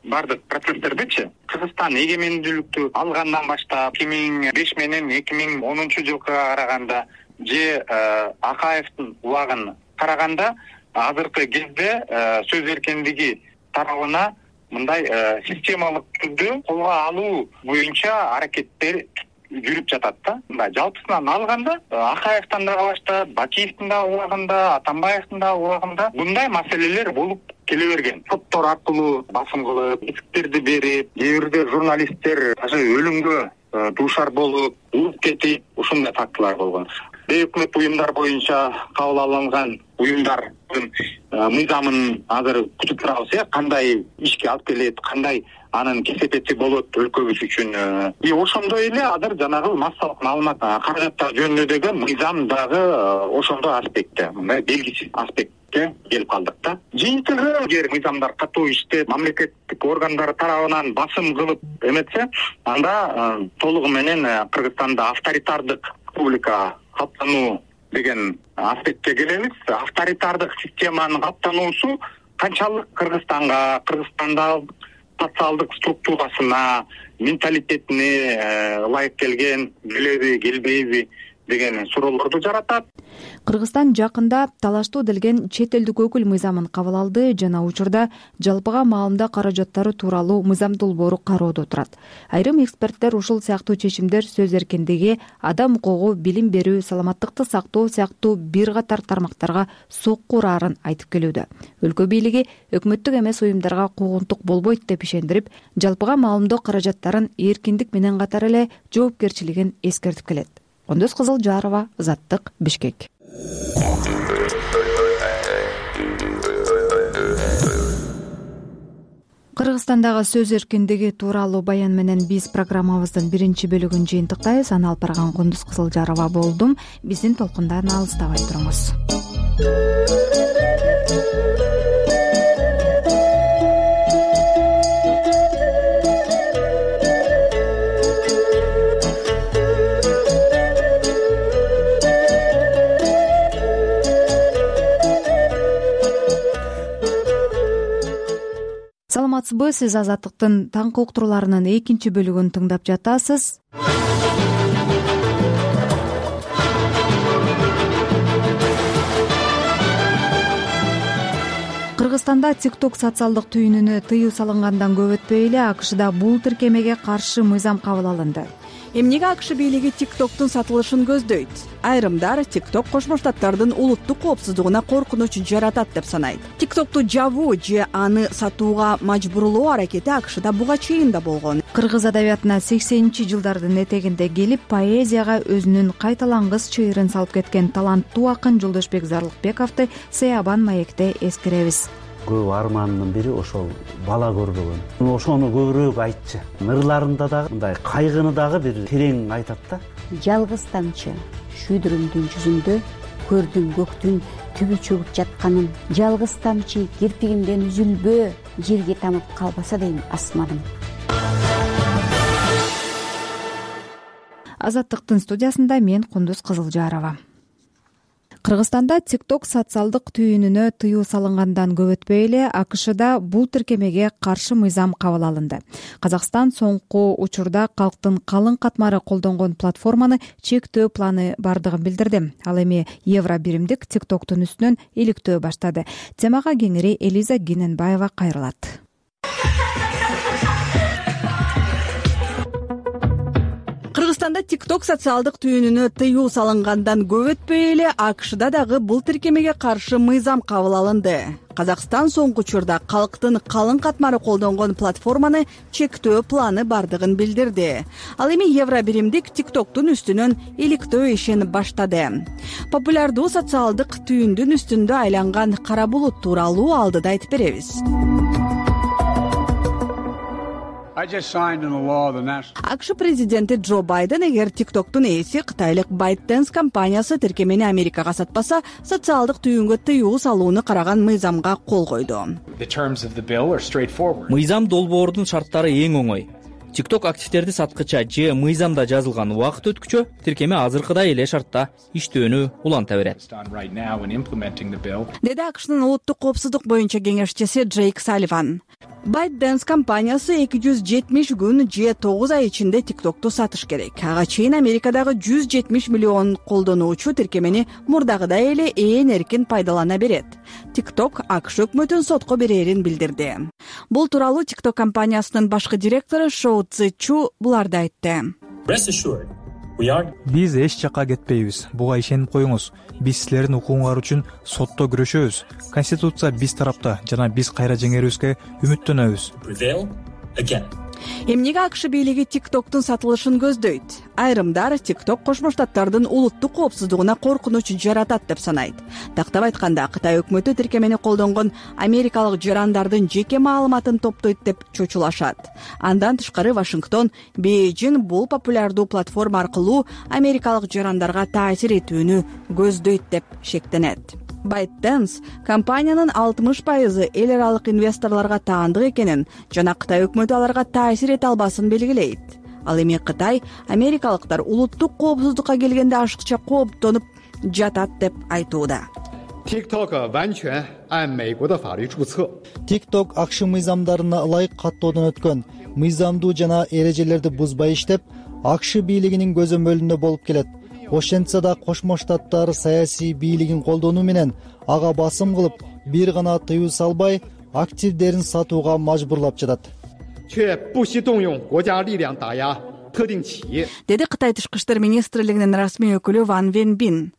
Speaker 7: Бардык процесстердичи Кыргызстан эгемендүүлүктү алгандан баштап 2005 менен 2010 жылга караганда же Акаевдин убагын караганда азыркы кезде сөз эркиндиги тарабына мындай системалык түрдө колго алуу боюнча аракеттер жүрүп жатат да. Мындай жалпысынан алганда Акаевдин дагы баштап, Бакиевдин дагы убагында, Атамбаевдин дагы убагында мындай маселелер болуп келе берген. Соттор аркылуу басым кылып, эсиктерди берип, кээ бирде журналисттер даже өлүмгө дуушар болуп, ууп кетип, ушундай фактылар болгон. Бейөкмөт уюмдар боюнча кабыл алынган уюмдардын мыйзамын азыр күтүп турабыз, кандай ишке алып келет, кандай анын кесепети болот өлкөбүз үчүн. Ошондой эле азыр жанагы массалык маалымат каражаттар жөнүндөгү мыйзам дагы ошондой аспектте, мындай белгисиз аспектке келип калдык да. Жыйынтыгы эгер мыйзамдар катуу иштеп, мамлекеттик органдар тарабынан басым кылып эметсе, анда толугу менен Кыргызстанда авторитардык республика калыптануу деген аспектке келебиз. Авторитардык системанын калыптануусу канчалык Кыргызстанга, Кыргызстанда социалдык структурасына, менталитетине ылайык келген, келеби, келбейби деген суроолорду жаратат.
Speaker 2: Кыргызстан жакында талаштуу делген чет элдик өкүл мыйзамын кабыл алды жана учурда жалпыга маалымда каражаттары тууралуу мыйзам долбоору кароодо турат. Айрым эксперттер ушул сыяктуу чечимдер сөз эркиндиги, адам укугу, билим берүү, саламаттыкты сактоо сыяктуу бир катар тармактарга сокку урарын айтып келүүдө. Өлкө бийлиги өкмөттүк эмес уюмдарга куугунтук болбойт деп ишендирип, жалпыга маалымдоо каражаттарын эркиндик менен катар эле жоопкерчилигин эскертип келет. Кондос Кызылжарова, Азаттык, Бишкек. Кыргызстандагы сөз эркиндиги тууралуу баян менен биз программабыздын биринчи бөлүгүн жыйынтыктайбыз. Аны алып барган Кондос Кызылжарова болдум. Биздин толкундан алыстабай туруңуз. саламатсызбы? Сиз Азаттыктын таңкы уктурууларынын экинчи бөлүгүн тыңдап жатасыз. Кыргызстанда TikTok социалдык түйүнүнө тыюу салынгандан көп өтпөй эле АКШда бул тиркемеге каршы мыйзам кабыл алынды.
Speaker 14: Эмнеге АКШ бийлиги TikToктун сатылышын көздөйт? Айрымдар TikTok Кошмо Штаттардын улуттук коопсуздугуна коркунуч жаратат деп санайт. TikToкту жабуу же аны сатууга мажбурлоо аракети АКШда буга чейин да болгон.
Speaker 2: Кыргыз адабиятына 80-жылдардын этегинде келип, поэзияга өзүнүн кайталангыс чыйырын салып кеткен таланттуу акын Жолдошбек Зарлыкбековду Сыябан маекте эскеребиз.
Speaker 1: Көп арманынын бири ошол бала көрбөгөн. Ошону көбүрөөк айтчы. Ырларында дагы мындай кайгыны дагы бир терең айтат да.
Speaker 8: Жалгыз тамчы шүйдүрүмдүн жүзүндө көрдүм көктүн түбү чөгүп жатканын. Жалгыз тамчы кирпигимден үзүлбө, жерге тамып калбаса дейм асманым.
Speaker 2: Азаттыктын студиясында мен Кундуз Кызылжарова. Кыргызстанда TikTok социалдык түйүнүнө тыюу салынгандан көп өтпөй эле АКШда бул тиркемеге каршы мыйзам кабыл алынды. Казакстан соңку учурда калктын калың катмары колдонгон платформаны чектөө планы бардыгын билдирди. Ал эми евро биримдик TikToктун үстүнөн иликтөө баштады. Темага кеңири Элиза Гененбаева кайрылат.
Speaker 14: Кыргызстанда TikTok социалдык түйүнүнө тыюу салынгандан көп өтпөй эле АКШда дагы бул тиркемеге каршы мыйзам кабыл алынды. Казакстан соңку учурда калктын калың катмары колдонгон платформаны чектөө планы бардыгын билдирди. Ал эми евро биримдик TikToктун үстүнөн иликтөө ишин баштады. Популярдуу социалдык түйүндүн үстүндө айланган кара булут тууралуу алдыда айтып беребиз. АКШ президенти Джо Байден эгер TikToктун ээси кытайлык ByteDance компаниясы тиркемени Америкага сатпаса, социалдык түйүнгө тыюу салууну караган мыйзамга кол койду.
Speaker 9: Мыйзам долбоордун шарттары эң оңой. TikTok активдерди саткыча же мыйзамда жазылган убакыт өткүчө тиркеме азыркыдай эле шартта иштөөнү уланта берет.
Speaker 14: Деди АКШнын улуттук коопсуздук боюнча кеңешчиси Джейк Салливан. ByteDance компаниясы 270 күн же 9 ай ичинде TikToкту сатыш керек. Ага чейин Америкадагы 170 миллион колдонуучу тиркемени мурдагыдай эле ээн эркин пайдалана берет. TikTok АКШ өкмөтүн сотко берерин билдирди. Бул тууралуу TikTok компаниясынын башкы директору Шоу Цзи Чу буларды айтты.
Speaker 21: Биз эч жакка кетпейбиз. Буга ишенип коюңуз. Биз силердин укугуңар үчүн сотто күрөшөбүз. Конституция биз тарапта жана биз кайра жеңерибизге үмүттөнөбүз.
Speaker 14: Эмнеге АКШ бийлиги TikToктун сатылышын көздөйт? Айрымдар TikTok Кошмо Штаттардын улуттук коопсуздугуна коркунуч жаратат деп санайт. Тактап айтканда, Кытай өкмөтү тиркемени колдонгон америкалык жарандардын жеке маалыматын топтойт деп чочулашат. Андан тышкары Вашингтон Бейжин бул популярдуу платформа аркылуу америкалык жарандарга таасир этүүнү көздөйт деп шектенет. ByteDance компаниянын 60% эл аралык инвесторлорго таандык экенин жана Кытай өкмөтү аларга таасир эте албасын белгилейт. Ал эми Кытай америкалыктар улуттук коопсуздукка келгенде ашыкча кооптонуп жатат деп айтууда.
Speaker 10: TikTok АКШ мыйзамдарына ылайык каттоодон өткөн, мыйзамдуу жана эрежелерди бузбай иштеп, АКШ бийлигинин көзөмөлүндө болуп келет. Ошентсе да Кошмо Штаттар саясий бийлигин колдонуу менен ага басым кылып, бир гана тыюу салбай, активдерин сатууга мажбурлап жатат.
Speaker 14: Деди Кытай тышкы иштер министрлигинин расмий өкүлү Ван Венбин.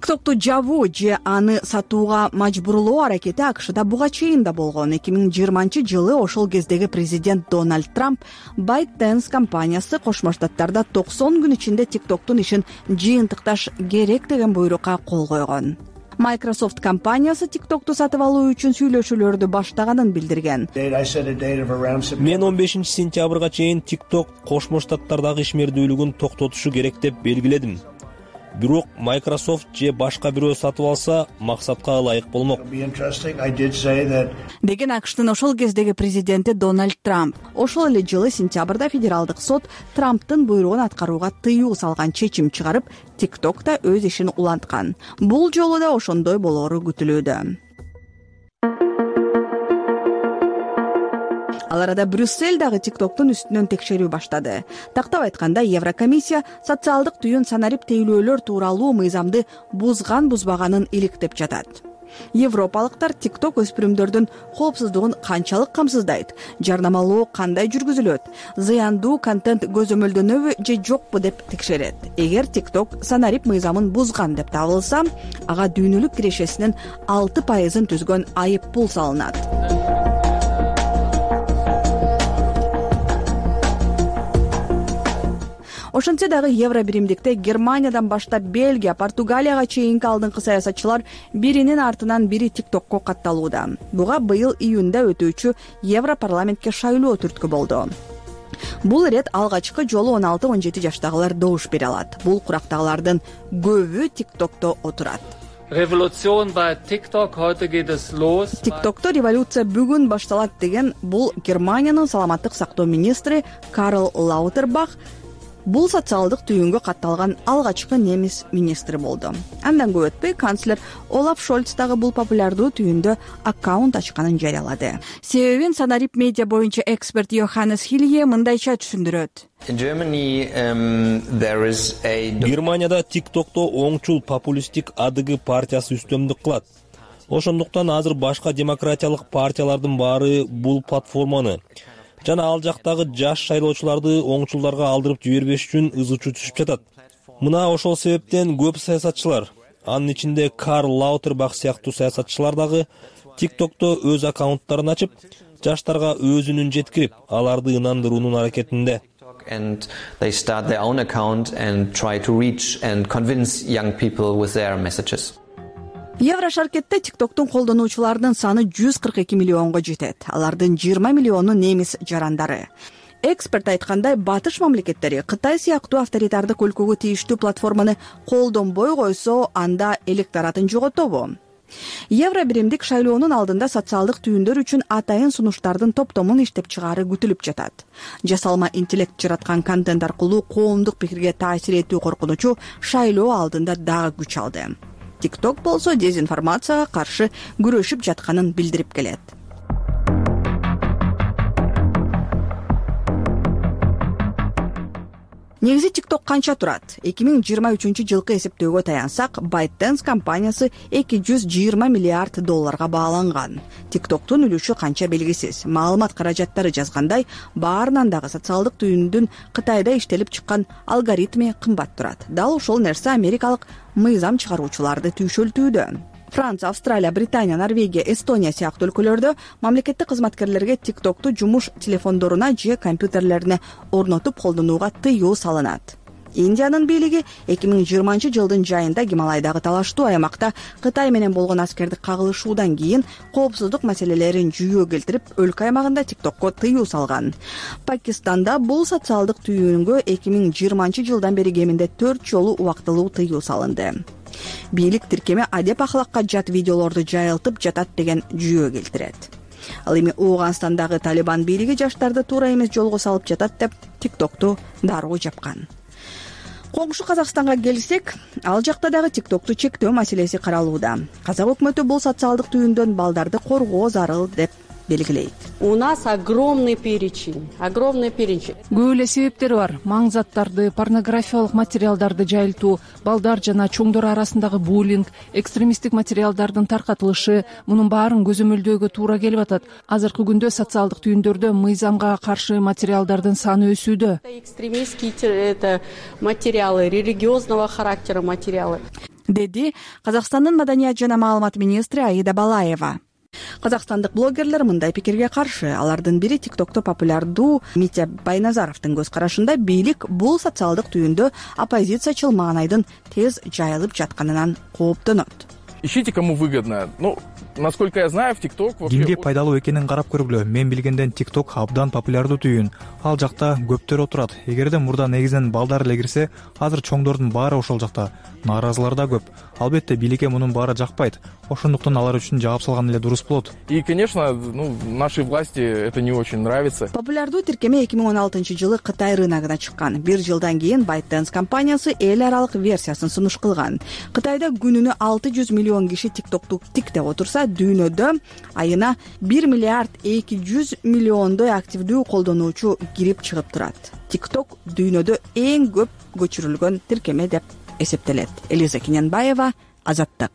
Speaker 14: TikToкту жабуу же аны сатууга мажбурлоо аракети АКШда буга чейин да болгон. 2020-жылы ошол кездеги президент Дональд Трамп ByteDance компаниясы Кошмо Штаттарда 90 күн ичинде TikToктун ишин жыйынтыкташ керек деген буйрукка кол койгон. Microsoft компаниясы TikToкту сатып алуу үчүн сүйлөшүүлөрдү баштаганын билдирген.
Speaker 9: Мен 15-сентябрга чейин TikTok Кошмо Штаттардагы ишмердүүлүгүн токтотушу керек деп белгиледим. Бирок Microsoft же башка бирөө сатып алса, максатка ылайык болмок.
Speaker 14: Деген АКШтын ошол кездеги президенти Дональд Трамп. Ошол эле жылы сентябрда федералдык сот Трамптын буйругун аткарууга тыюу салган чечим чыгарып, TikTok да өз ишин уланткан. Бул жолу да ошондой болоору күтүлүүдө. Ал арада Брюссель дагы TikToktун үстүнөн текшерүү баштады. Тактап айтканда, Еврокомиссия социалдык түйүн санарип тейлөөлөр тууралуу мыйзамды бузган-бузбаганын иликтеп жатат. Европалыктар TikTok өспүрүмдөрдүн коопсуздугун канчалык камсыздайт, жарнамалоо кандай жүргүзүлөт, зыяндуу контент көзөмөлдөнөбү же жокпу деп текшерет. Эгер TikTok санарип мыйзамын бузган деп табылса, ага дүйнөлүк кирешесинин 6% түзгөн айып пул салынат. Ошентсе дагы евро биримдикте Германиядан баштап Бельгия, Португалияга чейинки алдыңкы саясатчылар биринин артынан бири TikTokко катталууда. Буга быйыл июнда өтүүчү Европарламентке шайлоо түрткү болду. Бул ирет алгачкы жолу 16-17 жаштагылар добуш бере алат. Бул курактагылардын көбү TikTokто отурат. TikTokто революция бүгүн башталат деген бул Германиянын саламаттык сактоо министри Карл Лаутербах бул социалдык түйүнгө катталган алгачкы немис министри болду. Андан көп өтпөй канцлер Олаф Шольц дагы бул популярдуу түйүндө аккаунт ачканын жарыялады. Себебин санарип медиа боюнча эксперт Йоханнес Хилье мындайча түшүндүрөт.
Speaker 9: Германияда TikTokто оңчул популисттик АДГ партиясы үстөмдүк кылат. Ошондуктан азыр башка демократиялык партиялардын баары бул платформаны жана ал жактагы жаш шайлоочуларды оңчулдарга алдырып жибербеш үчүн ызы-чуу түшүп жатат. Мына ошол себептен көп саясатчылар, анын ичинде Карл Лаутербах сыяктуу саясатчылар дагы TikTokто өз аккаунттарын ачып, жаштарга өз үнүн жеткирип, аларды ынандыруунун аракетинде.
Speaker 4: And they start their own account and try to reach and convince young people with their messages.
Speaker 14: Еврошаркетте TikToктун колдонуучуларынын саны 142 миллионго жетет. Алардын 20 миллиону немис жарандары. Эксперт айткандай, батыш мамлекеттери Кытай сыяктуу авторитардык өлкөгө тийиштүү платформаны колдонбой койсо, анда электоратын жоготобу? Евро биримдик шайлоонун алдында социалдык түйүндөр үчүн атайын сунуштардын топтомун иштеп чыгаары күтүлүп жатат. Жасалма интеллект жараткан контент аркылуу коомдук пикирге таасир этүү коркунучу шайлоо алдында дагы күч алды. TikTok болсо дезинформацияга каршы күрөшүп жатканын билдирип келет. Негизи TikTok канча турат? 2023-жылкы эсептөөгө таянсак, ByteDance компаниясы $220 миллиард бааланган. TikToктун үлүшү канча белгисиз. Маалымат каражаттары жазгандай, баарынан дагы социалдык түйүндүн Кытайда иштелип чыккан алгоритми кымбат турат. Дал ошол нерсе америкалык мыйзам чыгаруучуларды түйшөлтүүдө. Франция, Австралия, Британия, Норвегия, Эстония сыяктуу өлкөлөрдө мамлекеттик кызматкерлерге TikToкту жумуш телефондоруна же компьютерлерине орнотуп колдонууга тыюу салынат. Индиянын бийлиги 2020-жылдын жайында Гималайдагы талаштуу аймакта Кытай менен болгон аскердик кагылышуудан кийин коопсуздук маселелерин жүйөө келтирип, өлкө аймагында TikTokко тыюу салган. Пакистанда бул социалдык түйүнгө 2020-жылдан бери кеминде 4 жолу убактылуу тыюу салынды. Бийлик тиркеме адеп ахлакка жат видеолорду жайылтып жатат деген жүйөө келтирет. Ал эми Ооганстандагы Талибан бийлиги жаштарды туура эмес жолго салып жатат деп TikToкту дароо жапкан. Коңшу Казакстанга келсек, ал жакта дагы TikToкту чектөө маселеси каралууда. Казак өкмөтү бул социалдык түйүндөн балдарды коргоо зарыл деп белгилейт.
Speaker 12: У нас огромный перечень. Көп
Speaker 13: эле себептер бар. Маң заттарды, порнографиялык материалдарды жайылтуу, балдар жана чоңдор арасындагы буллинг, экстремисттик материалдардын таркатылышы, мунун баарын көзөмөлдөөгө туура келип атат. Азыркы күндө социалдык түйүндөрдө мыйзамга каршы материалдардын саны өсүүдө.
Speaker 12: Экстремистские материалы, религиозного характера материалы.
Speaker 14: Деди Казакстандын маданият жана маалымат министри Аида Балаева. Казакстандык блогерлер мындай пикирге каршы. Алардын бири TikTokто популярдуу Митя Байназаровдун көз карашында бийлик бул социалдык түйүндө оппозициячыл маанайдын тез жайылып жатканынан кооптонот.
Speaker 15: Ищите, кому выгодно. Насколько я знаю, в TikTok...
Speaker 21: Кимге пайдалуу экенин карап көргүлө. Мен билгенден TikTok абдан популярдуу түйүн. Ал жакта көптөр отурат. Эгерде мурда негизинен балдар эле кирсе, азыр чоңдордун баары ошол жакта. Нааразылар да көп. Албетте бийликке мунун баары жакпайт. ошондуктан алар үчүн жаап салган эле дурус болот.
Speaker 15: И, конечно, нашей власти это не очень нравится.
Speaker 14: Популярдуу тиркеме 2016-жылы Кытай рыногуна чыккан. Бир жылдан кийин ByteDance компаниясы эл аралык версиясын сунуш кылган. Кытайда күнүнө 600 миллион киши TikTok'ту тиктеп отурса, дүйнөдө айына 1 миллиард 200 миллиондой активдүү колдонуучу кирип чыгып турат. TikTok дүйнөдө эң көп көчүрүлгөн тиркеме деп эсептелет. Элиза Кененбаева, Азаттык.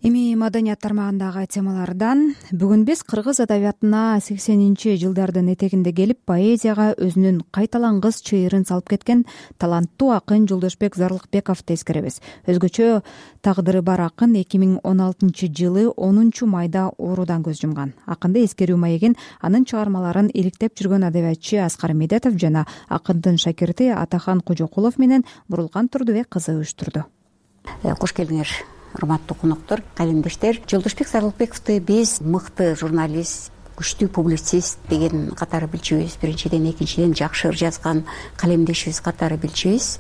Speaker 2: Эми маданият тармагындагы темалардан бүгүн биз кыргыз адабиятына 80-жылдардын этегинде келип поэзияга өзүнүн кайталангыс чыйырын салып кеткен таланттуу акын Жолдошбек Зарлыкбековду эскеребиз. Өзгөчө тагдыры бар акын 2016-жылы 10-майда оорудан көз жумган. Акынды эскерүү маегин анын чыгармаларын иликтеп жүргөн адабиятчы Аскар Медетов жана акындын шакирти Атахан Кожокулов менен Бурулган Турдубек кызы уюштурду.
Speaker 8: Кош келдиңер. Урматтуу коноктор, калемдештер, Жолдошбек Зарлыкбековду биз мыкты журналист, күчтүү публицист деген катары билчүбүз. Биринчиден, экинчиден жакшы ыр жазган калемдешибиз катары билчүбүз.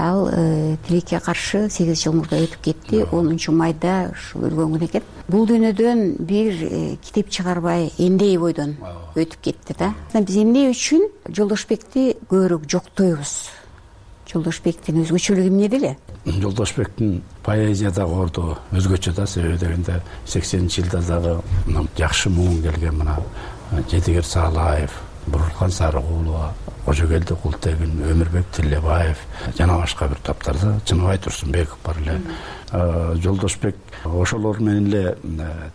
Speaker 8: Ал тилекке каршы 8 жыл мурда өтүп кетти. 10-майда ушу өлгөн күн экен. Бул дүйнөдөн бир китеп чыгарбай эмдей бойдон өтүп кетти да. Биз эмне үчүн Жолдошбекти көбүрөөк жоктойбуз? Жолдошбектин өзгөчөлүгү эмнеде эле?
Speaker 1: Жолдошбектин поэзиядагы орду өзгөчө да, себеби дегенде 80-жылдардагы жакшы муун келген мына Жетигер Саалаев, Бурулган Сарыгулова, Кожокелди Култегин, Өмүрбек Тилебаев жана башка бир таптарда Чыныбай Турсунбеков бар эле. Жолдошбек ошолор менен эле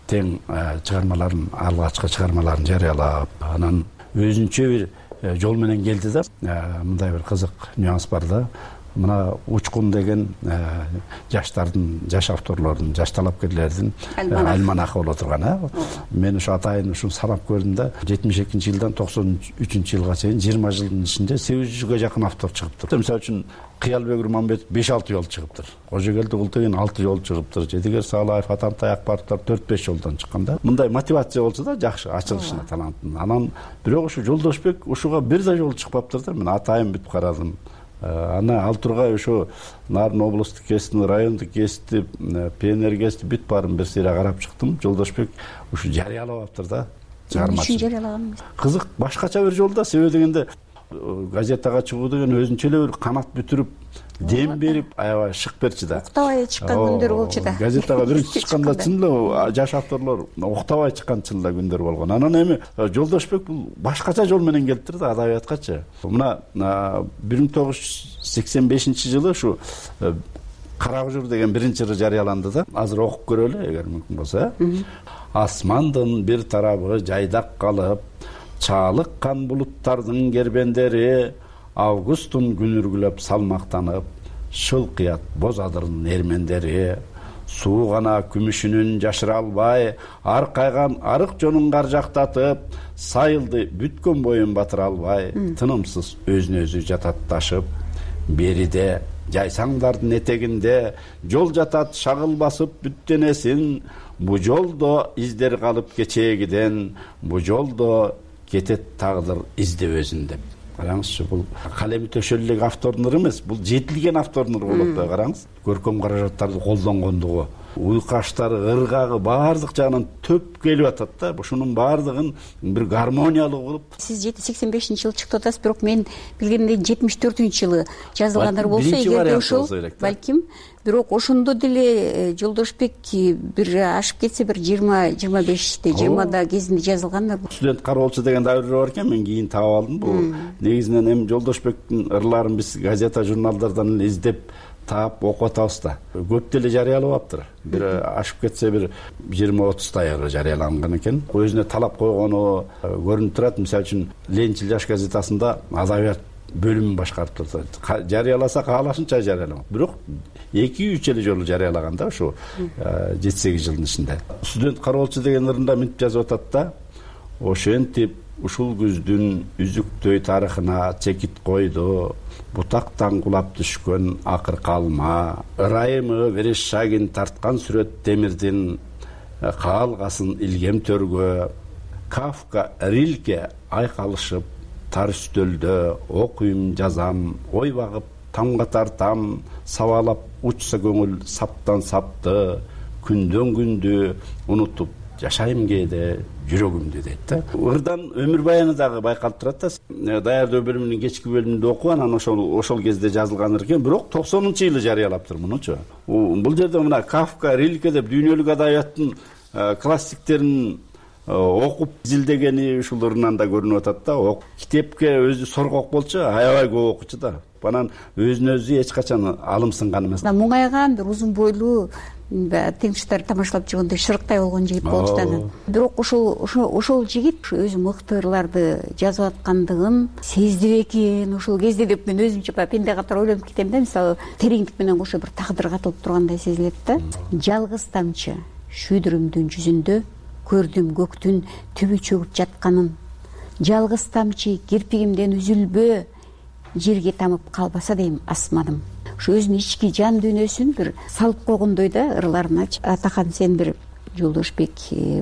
Speaker 1: тең чыгармаларын, алгачкы чыгармаларын жарыялап, анан өзүнчө бир жол менен келди да. Мындай бир кызык нюанс бар да. Мына Учкун деген жаштардын, жаш авторлордун, жаш талапкерлердин альманахы боло турган. Мен ушу атайын ушуну санап көрдүм да. 72-жылдан 93-жылга чейин 20 жылдын ичинде 800гө жакын автор чыгыптыр. Мисалы үчүн Кыялбек Урманбетов 5-6 жол чыгыптыр. Кожокелди Култегин 6 жол чыгыптыр. Жетигер Саалаев, Атантай Акбаровдор 4-5 жолдон чыккан да. Мындай мотивация болсо да жакшы ачылышына таланттын. Анан бирок ушу Жолдошбек ушуга бир да жол чыкпаптыр да. Мен атайын бүтүп карадым. Ана ал тургай ошо Нарын облустук гезитин, райондук гезитти, ПНР гезитти бүт баарын бир сыйра карап чыктым. Жолдошбек ушу жарыялабаптыр да.
Speaker 8: Чыгармачы. Үчүн жарыялаган?
Speaker 1: Кызык, башкача бир жолда, себеби дегенде газетага чыгуу деген өзүнчө эле бир канат бүтүрүп, дем берип, аябай шык берчи да.
Speaker 8: Октабай чыккан күндөр болчу да.
Speaker 1: Газетага биринчи чыкканда чын эле жаш авторлор октабай чыккан чын эле күндөр болгон. Анан эми Жолдошбек бул башкача жол менен келиптир да адабияткачы. Мына 1985-жылы ушу Кара Кужур деген биринчи ыры жарыяланды да. Азыр окуп көрөлү, эгер мүмкүн болсо. Асмандын бир тарабы жайдак калып, чаалыккан булуттардын кербендери августтун күнүргүлөп салмактанып, шылкыят боз адырдын эрмендери, суу гана күмүшүнүн жашыра албай, аркайган арык жонун каржактатып, сайылды бүткөн боюн батыра албай, тынымсыз өзүнө өзү жататташып, бериде жайсаңдардын этегинде жол жатат шагыл басып бүттенесин, бу жолдо издер калып кечээгиден, бу жолдо кетет тагдыр издеп өзүн деп. Караңызчы, бул калеми төшөлү эле автордун ыры эмес, бул жетилген автордун ыры болот да, караңыз. Көркөм каражаттарды колдонгондугу, уйкаштары, ыргагы баардык жагынан төп келип атат да. Ушунун баардыгын бир гармониялуу кылып.
Speaker 8: Сиз 85-жылы чыктып атасыз, бирок мен билгендей 74-жылы жазылгандар болсо, эгерде ошол балким, бирок ошондо деле Жолдошбек бир ашып кетсе бир 20-25-те, 20да кезинде жазылгандар.
Speaker 1: Студент кароолчу деген давыр бар экен, мен кийин таап алдым. Бул негизинен эми Жолдошбектин ырларын биз газета, журналдардан издеп таап окуп атабыз да. Көп деле жарыялабаптыр. Бир ашып кетсе бир 20-30 ыры жарыяланган экен. Өзүнө талап койгону көрүнүп турат. Мисалы үчүн Ленчил жаш газетасында адабият бөлүмүн башкарып турат. Жарыяласа каалашынча жарыяламак. Бирок 2-3 эле жолу жарыялаган да ушу 7-8 жылдын ичинде. Студент кароолчу деген ырында мынтип жазып атат да. Ошентип ушул күздүн үзүктөй тарыхына чекит койду. Бутактан кулап түшкөн акыркы алма, ырайымы Верещагин тарткан сүрөт темирдин каалгасын илгем төргө, Кафка, Рильке айкалышып тар үстөлдө окуйм, жазам, ой багып тамга тартам, сабалап учса көңүл саптан сапты, күндөн күндү унутуп жашайм кээде жүрөгүмдү дейт да. Ырдан өмүр баяны дагы байкалып турат да. Даярдоо бөлүмүнүн кечки бөлүмүндө окуп анан ошол кезде жазылган экен, бирок 90-жылы жарыялаптыр мунучу. Бул жерде мына Кафка, Рильке деп дүйнөлүк адабияттын классиктерин окуп изилдегени ушуларынан да көрүнүп атат да. Китепке өзү соргок болчу, аябай көп окучу да. Анан өзүн өзү эч качан алымсынган эмес.
Speaker 8: Муңайган бир узун бойлуу теңиштер тамашалап жүргөндө шырыктай болгон жигит болчу да. Бирок ошол жигит өзү мыкты ырларды жазып аткандыгын сезди экен ошол кезде деп мен өзүмчө пенде катары ойлонуп кетем да. Мисалы тереңдик менен кошо бир тагдыр катылып тургандай сезилет да. Жалгыз тамчы шүйдүрүмдүн жүзүндө көрдүм көктүн түбү чөгүп жатканын. Жалгыз тамчы кирпигимден үзүлбө, жерге тамып калбаса дейм асманым. Ушу өзүнүн ички жан дүйнөсүн бир салып койгондой да ырларыначы. Атахан, сен бир Жолдошбек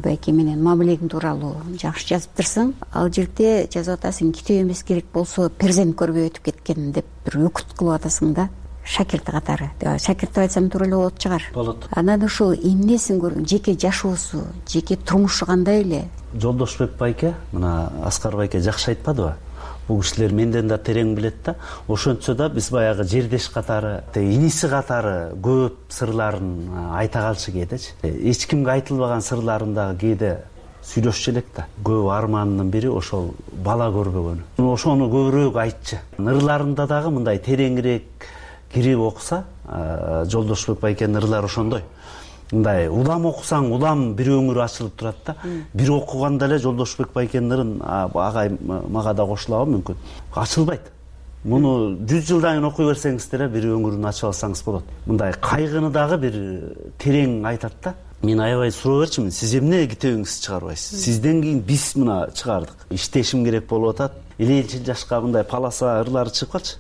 Speaker 8: байке менен мамилең тууралуу жакшы жазыптырсың. Ал жерде жазып атасың, китеп эмес керек болсо перзент көрбөй өтүп кеткен деп бир өкүт кылып атасың да. Шакирти катары. Шакирт деп айтсам туура эле болот чыгар.
Speaker 5: Болот.
Speaker 8: Анан ушул эмнесин көргөн, жеке жашоосу, жеке турмушу кандай эле?
Speaker 5: Жолдошбек байке, мына Аскар байке жакшы айтпадыбы? Бул кишилер менден да терең билет да. Ошентсе да биз баягы жердеш катары, иниси катары көп сырларын айта калчу кээдечи. Эч кимге айтылбаган сырларын дагы кээде сүйлөшчү элек да. Көп арманынын бири ошол бала көрбөгөнү. Ошону көбүрөөк айтчы. Ырларында дагы мындай тереңирээк кирип окуса, Жолдошбек байкенин ырлары ошондой. Мындай улам окусаң, улам бир өңүр ачылып турат да. Бир окуганда эле Жолдошбек байкенин ырын агай мага да кошулабы мүмкүн. Ачылбайт. Муну 100 жылдан кийин окуй берсеңиз деле бир өңүрүн ачып алсаңыз болот. Мындай кайгыны дагы бир терең айтат да. Мен аябай суроо берчимин, сиз эмне китебиңизди чыгарбайсыз? Сизден кийин биз мына чыгардык. Иштешим керек болуп атат. Элчил жашка мындай паласа ырлары чыгып калчы.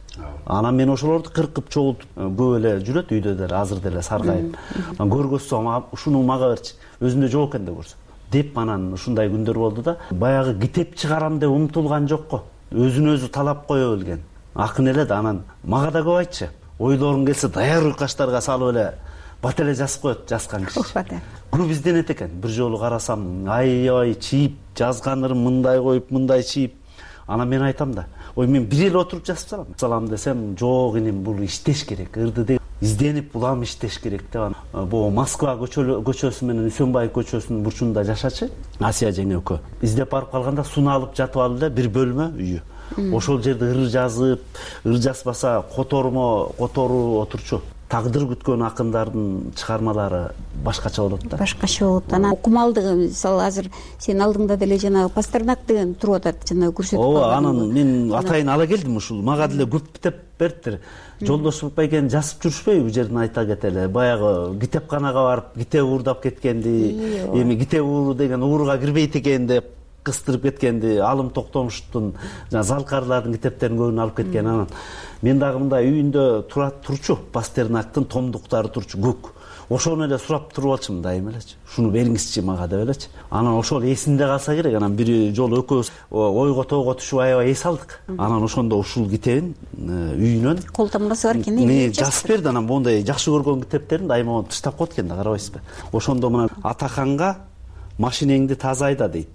Speaker 5: Анан мен ошолорду кыркып чогултуп, көп эле жүрөт үйдө деле, азыр деле саргайып. Көргөзсөм, ушуну мага берчи, өзүндө жок экен деп көрсөм. Деп анан ушундай күндөр болду да. Баягы китеп чыгарам деп умтулган жокко. Өзүн өзү талап кое билген. Акын эле да. Анан мага да көп айтчы. Ойлоруң келсе даяр уйкаштарга салып эле бат эле жазып коет жазган киши. Көп изденет экен. Бир жолу карасам, аябай чийип жазганырым мындай коюп, мындай чийип. Анан мен айтам да, ой мен бир эле отуруп жазып салам десем, жок иним, бул иштеш керек. Ырды деп изденип улам иштеш керек деп. Бул Москва көчөсү менен Үсөнбаев көчөсүнүн бурчунда жашачы Асия жеңе экөө. Издеп барып калганда суна алып жатып алды да, бир бөлмө үйү. Ошол жерде ыр жазып, ыр жазбаса которуу отурчу. Тагдыр күткөн акындардын чыгармалары башкача болот да.
Speaker 8: Башкача болот. Анан окумалдыгы, мисалы азыр сен алдыңда деле жанагы Пастернак деген туруп атат, жанагы көрсөтүп калган.
Speaker 5: Ооба, анан мен атайын ала келдим ушул. Мага деле көп деп бериптир. Жолдошбек байкени жазып жүрүшпөйбү бул жерден айта кетели. Баягы китепканага барып, китеп уурдап кеткенди, эми китеп ууру деген ууруга кирбейт экен деп кыстырып кеткенди, Алым Токтомуштун жана Залкарлардын китептерин көбүн алып кеткен. Анан мен дагы мындай үйүндө турчу, Пастернактын томдуктары турчу көк. Ошону эле сурап туруп алчумун дайыма элечи. Шуну бериңизчи мага деп элечи. Анан ошол эсинде калса керек. Анан бир жолу экөөбүз ойго тоого түшүп аябай эс алдык. Анан ошондо ушул китебин үйүнөн
Speaker 8: кол тамгасы бар экен,
Speaker 5: эмне жазып берди. Анан мондай жакшы көргөн китептерин дайыма тыштап коет экен да, карабайсызбы? Ошондо мына Атаханга машинеңди таза айда дейт.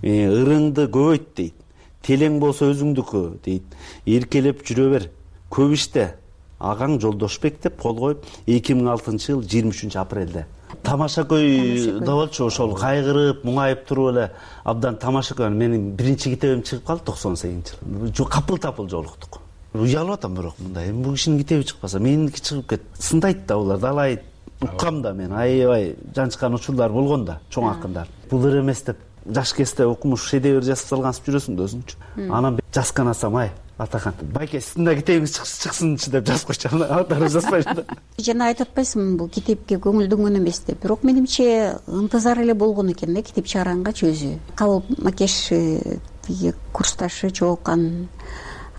Speaker 5: Ырыңды көбөйт дейт. Телең болсо өзүңдүкү дейт. Эркелеп жүрө бер. Көп иште. Агаң Жолдошбек деп кол коюп 2006-жыл 23 апрелде. Тамашакөйдө болчу, ошол кайгырып, муңайып туруп эле абдан тамашакөй. Менин биринчи китебим чыгып калды 98-жылы. Капыл-тапыл жолуктук. Уялып атам бирок мындай. Бул кишинин китеби чыкпаса, меники чыгып кет. Сындайт да булар, далай уккам да мен. Аябай жанчкан учурлар болгон да, чоң акындар. Бул ыр эмес деп жаш кезде окумуш шедевр жазып салгансып жүрөсүң да өзүңчү. Анан жазган асам, ай Атахан, байке сиздин да китебиңиз чыксынчы деп жазып койчу. Аттары жазбайм да.
Speaker 8: Жана айтып атпайсыңбы, бул китепке көңүлдөнгөн эмес деп. Бирок менимче ынтызар эле болгон экен да китеп чыгаргангачы өзү. Кабыл Макеш тиги курсташы жолуккан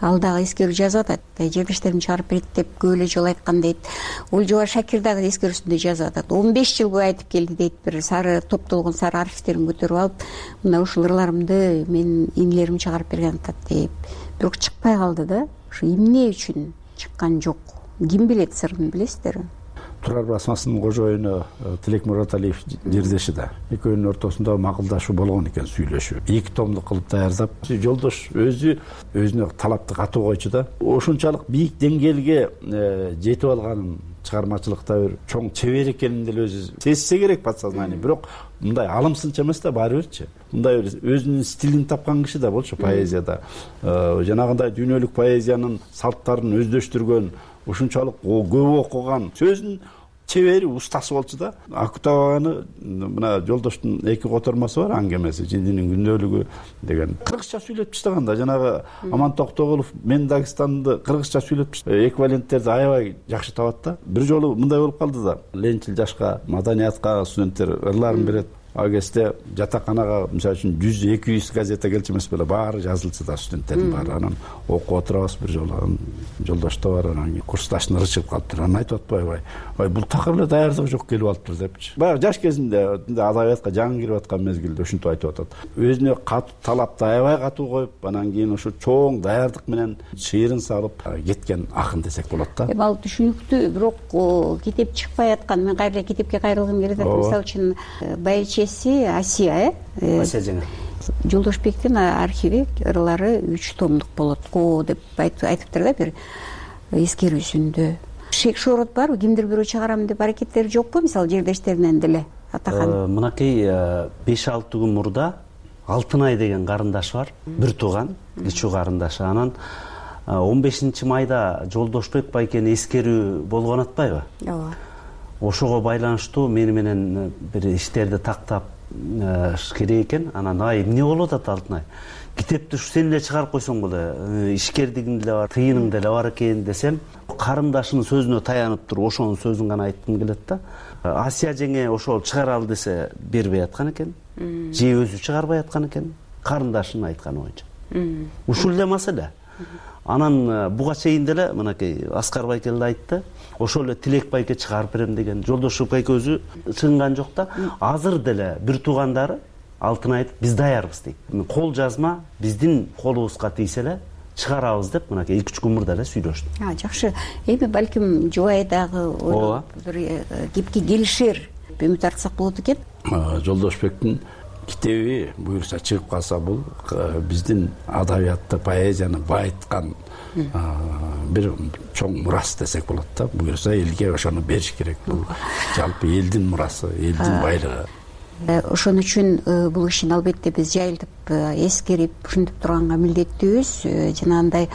Speaker 8: ал дагы эскерүү жазып атат. Жердештерим чыгарып берет деп көп эле жолу айткан дейт. Ольжоба Шакир дагы эскерүүсүндө жазып атат. 15 жыл бою айтып келди дейт. Бир сары топтолгон сары архивтерин көтөрүп алып, мына ушул ырларымды менин инилерим чыгарып берген атат деп. Бирок чыкпай калды да. Ушу эмне үчүн чыккан жок? Ким билет сырын, билесиздерби?
Speaker 1: Турар басмасынын кожоюну Тилек Мураталиев жердеши да. Экөөнүн ортосунда макулдашуу болгон экен, сүйлөшүү. 2 томдук кылып даярдап, жолдош өзүнө талапты катуу койчу да. Ошунчалык бийик деңгээлге жетип алганын, чыгармачылыкта бир чоң чебер экенин деле өзү сезсе керек подсознание. Бирок мындай алымсынча эмес да, баары бирчи. Мындай өзүнүн стилин тапкан киши да болчу поэзияда. Жанагындай дүйнөлүк поэзиянын салттарын өздөштүргөн, ушунчалык көп окуган, сөзүнүн чебери, устасы болчу да. Акутаганы мына жолдоштун 2 котормосу бар, аңгемеси, Жиндинин күндөлүгү деген. Кыргызча сүйлөп таштаган да. Жанагы Аман Токтогулов мен Дагестанды кыргызча сүйлөп эквиваленттерди аябай жакшы табат да. Бир жолу мындай болуп калды да. Ленчил жашка, маданиятка студенттер ырларын берет. Ал кезде жатаканага мисалы үчүн 100-200 газета келчү эмес беле, баары жазылчу да, студенттердин баары. Анан окуп отурабыз бир жолу. Жолдошто бар, анан курсташын ырчып калыптыр. Анан айтып атпайбы, ай бул такыр эле даярдыгы жок келип алыптыр депчи. Баягы жаш кезинде адабиятка жаңы кирип аткан мезгилде ушинтип айтып атат. Өзүнө талапты аябай катуу коюп, анан кийин ушу чоң даярдык менен шыйырын салып кеткен акын десек болот да.
Speaker 8: Ал түшүнүктүү, бирок китеп чыкпай аткан, мен кайра китепке кайрылгым келип атат. Мисалы үчүн Байчеси Асия,
Speaker 5: Асия жеңе.
Speaker 8: Жолдошбектин архиви ырлары 3 томдук болот деп айтыптыр да бир эскерүүсүндө. Шек шорот барбы? Кимдир бирөө чыгарам деп аракеттери жокпу? Мисалы жердештеринен деле атакан.
Speaker 5: Мынакей 5-6 күн мурда Алтынай деген карындаш бар, бир тууган, кичүү карындашы. Анан 15 майда Жолдошбек байкени эскерүү болгон атпайбы?
Speaker 8: Ооба.
Speaker 5: Ошого байланыштуу мени менен бир иштерди тактап керек экен. Анан эмне болуп атат Алтынай? Китепти сен эле чыгарып койсоң боло, ишкердигиң деле бар, тыйының деле бар экен десем, карындашынын сөзүнө таянып туруп ошонун сөзүн гана айткым келет да. Асия жеңе ошол чыгаралы десе бербей аткан экен. Же өзү чыгарбай аткан экен, карындашынын айтканы боюнча. Ушул эле маселе. Анан буга чейин деле мынакей Аскар байке эле айтты. Ошол эле Тилек байке чыгарып берем деген. Жолдошбек байке өзү чыгынган жок да. Азыр деле бир туугандары Алтын айтып, биз даярбыз дейт. Кол жазма биздин колубузга тийсе эле чыгарабыз деп мынакей 2-3 күн мурда эле сүйлөштү.
Speaker 8: Жакшы. Эми балким жубай дагы бир кепке келишер үмүт артсак болот экен.
Speaker 1: Жолдошбектин китеби буюрса чыгып калса, бул биздин адабиятты, поэзияны байыткан бир чоң мурас десек болот да. Буюрса элге ошону бериш керек. Бул жалпы элдин мурасы, элдин байлыгы.
Speaker 8: Ошон үчүн бул ишин албетте биз жайылтып эскерип ушинтип турганга милдеттүүбүз. Жанагындай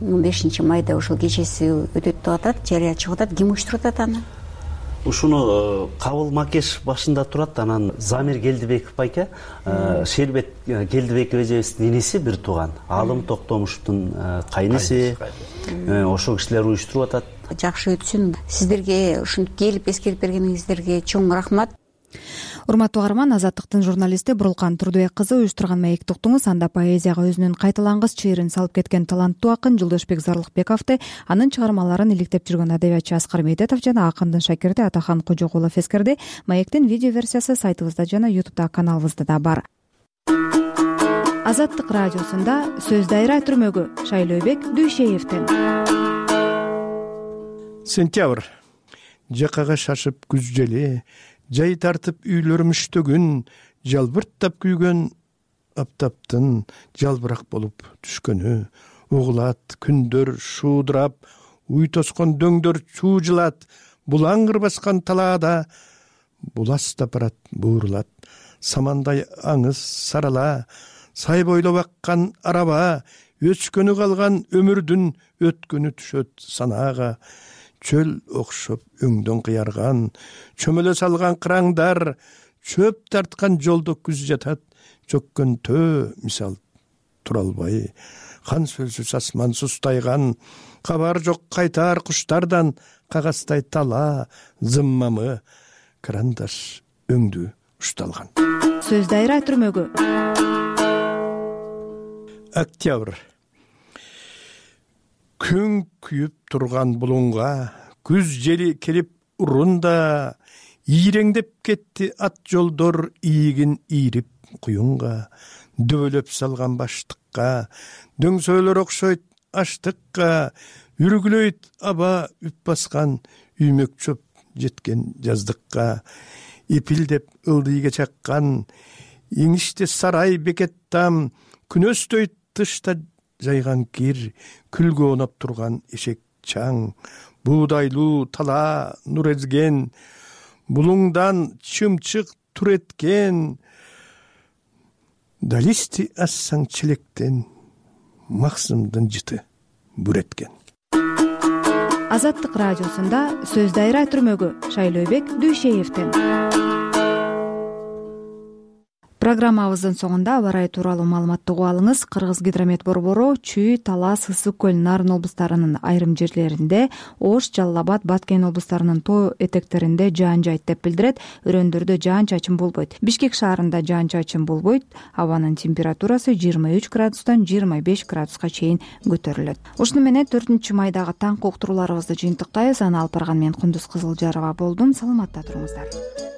Speaker 8: 15 майда ошол кечеси өтөт деп атат, жарыя чыгып атат. Ким уюштуруп атат аны?
Speaker 5: Ушуну Кабыл Макеш башында турат. Анан Замир Келдибеков байке, Шербет Келдибеков эжебиздин иниси бир тууган, Алым Токтомушевдун кайниси. Ошол кишилер уюштуруп атат.
Speaker 8: Жакшы өтсүн. Сиздерге ушинтип келип эскерип бергениңиздерге чоң рахмат.
Speaker 2: Урматтуу каарман, Азаттыктын журналисти Бурулкан Турдубек кызы уюштурган маекти уктуңуз. Анда поэзияга өзүнүн кайталангыс чыйырын салып кеткен таланттуу акын Жолдошбек Зарлыкбековду, анын чыгармаларын иликтеп жүргөн адабиятчы Аскар Медетов жана акындын шакирти Атахан Кожокулов эскерди. Маектин видео версиясы сайтыбызда жана YouTube каналыбызда да бар. Азаттык радиосунда сөз дайра түрмөгү Шайлообек Дүйшеевден.
Speaker 18: Сентябрь. Жакага шашып күз жели, жай тартып үйлөр мүштөгүн, жалбырттап күйгөн аптаптын жалбырак болуп түшкөнү, угулат күндөр шуудурап, уй тоскон дөңдөр чуужулат, булаңгыр баскан талаада буластап барат, буурулат, самандай аңыз сарала, сай бойлоп аккан араба, өчкөнү калган өмүрдүн өткөнү түшөт санаага, чөл окшоп өңдөн кыярган, чөмөлө салган кыраңдар, чөп тарткан жолдо күз жатат, чөккөн төө мисал тура албай, хан сөлсүз асман сустайган, кабар жок кайтар куштардан, кагаздай тала зыммамы карандаш өңдү ушталган.
Speaker 2: Сөз дайра түрмөгү
Speaker 18: Октябрь. Күн күйүп турган булунга күз жели келип урунда, ийреңдеп кетти ат жолдор ийигин ийрип куюнга, дөбөлөп салган баштыкка, дөңсөөлөр окшойт аштыкка, үргүлөйт аба үп баскан үймөк чөп жеткен жаздыкка, эпилдеп ылдыйга чаккан иңиште сарай бекет там, күнөстөйт тышта жайган кир, күлгө оонап турган эшек чаң, буудайлуу тала нур эзген, булуңдан чымчык тур эткен, далисти ассаң челектен, максымдын жыты бүр эткен.
Speaker 2: Азаттык радиосунда сөз дайра түрмөгү Шайлообек Дүйшеевден. Программабыздын соңунда аба ырайы тууралуу маалыматты угуп алыңыз. Кыргыз гидромет борбору Чүй, Талас, Ысык көл, Нарын облустарынын айрым жерлеринде, Ош, Жалал Абад, Баткен облустарынын тоо этектеринде жаан жайт деп билдирет. Өрөөндөрдө жаан-чачын болбойт. Бишкек шаарында жаан-чачын болбойт. Абанын температурасы 23 градустан 25 градуска чейин көтөрүлөт. Ушуну менен 4 майдагы таңкы уктурууларыбызды жыйынтыктайбыз. Аны алып барган мен Кундуз Кызылжарова болдум. Саламатта туруңуздар.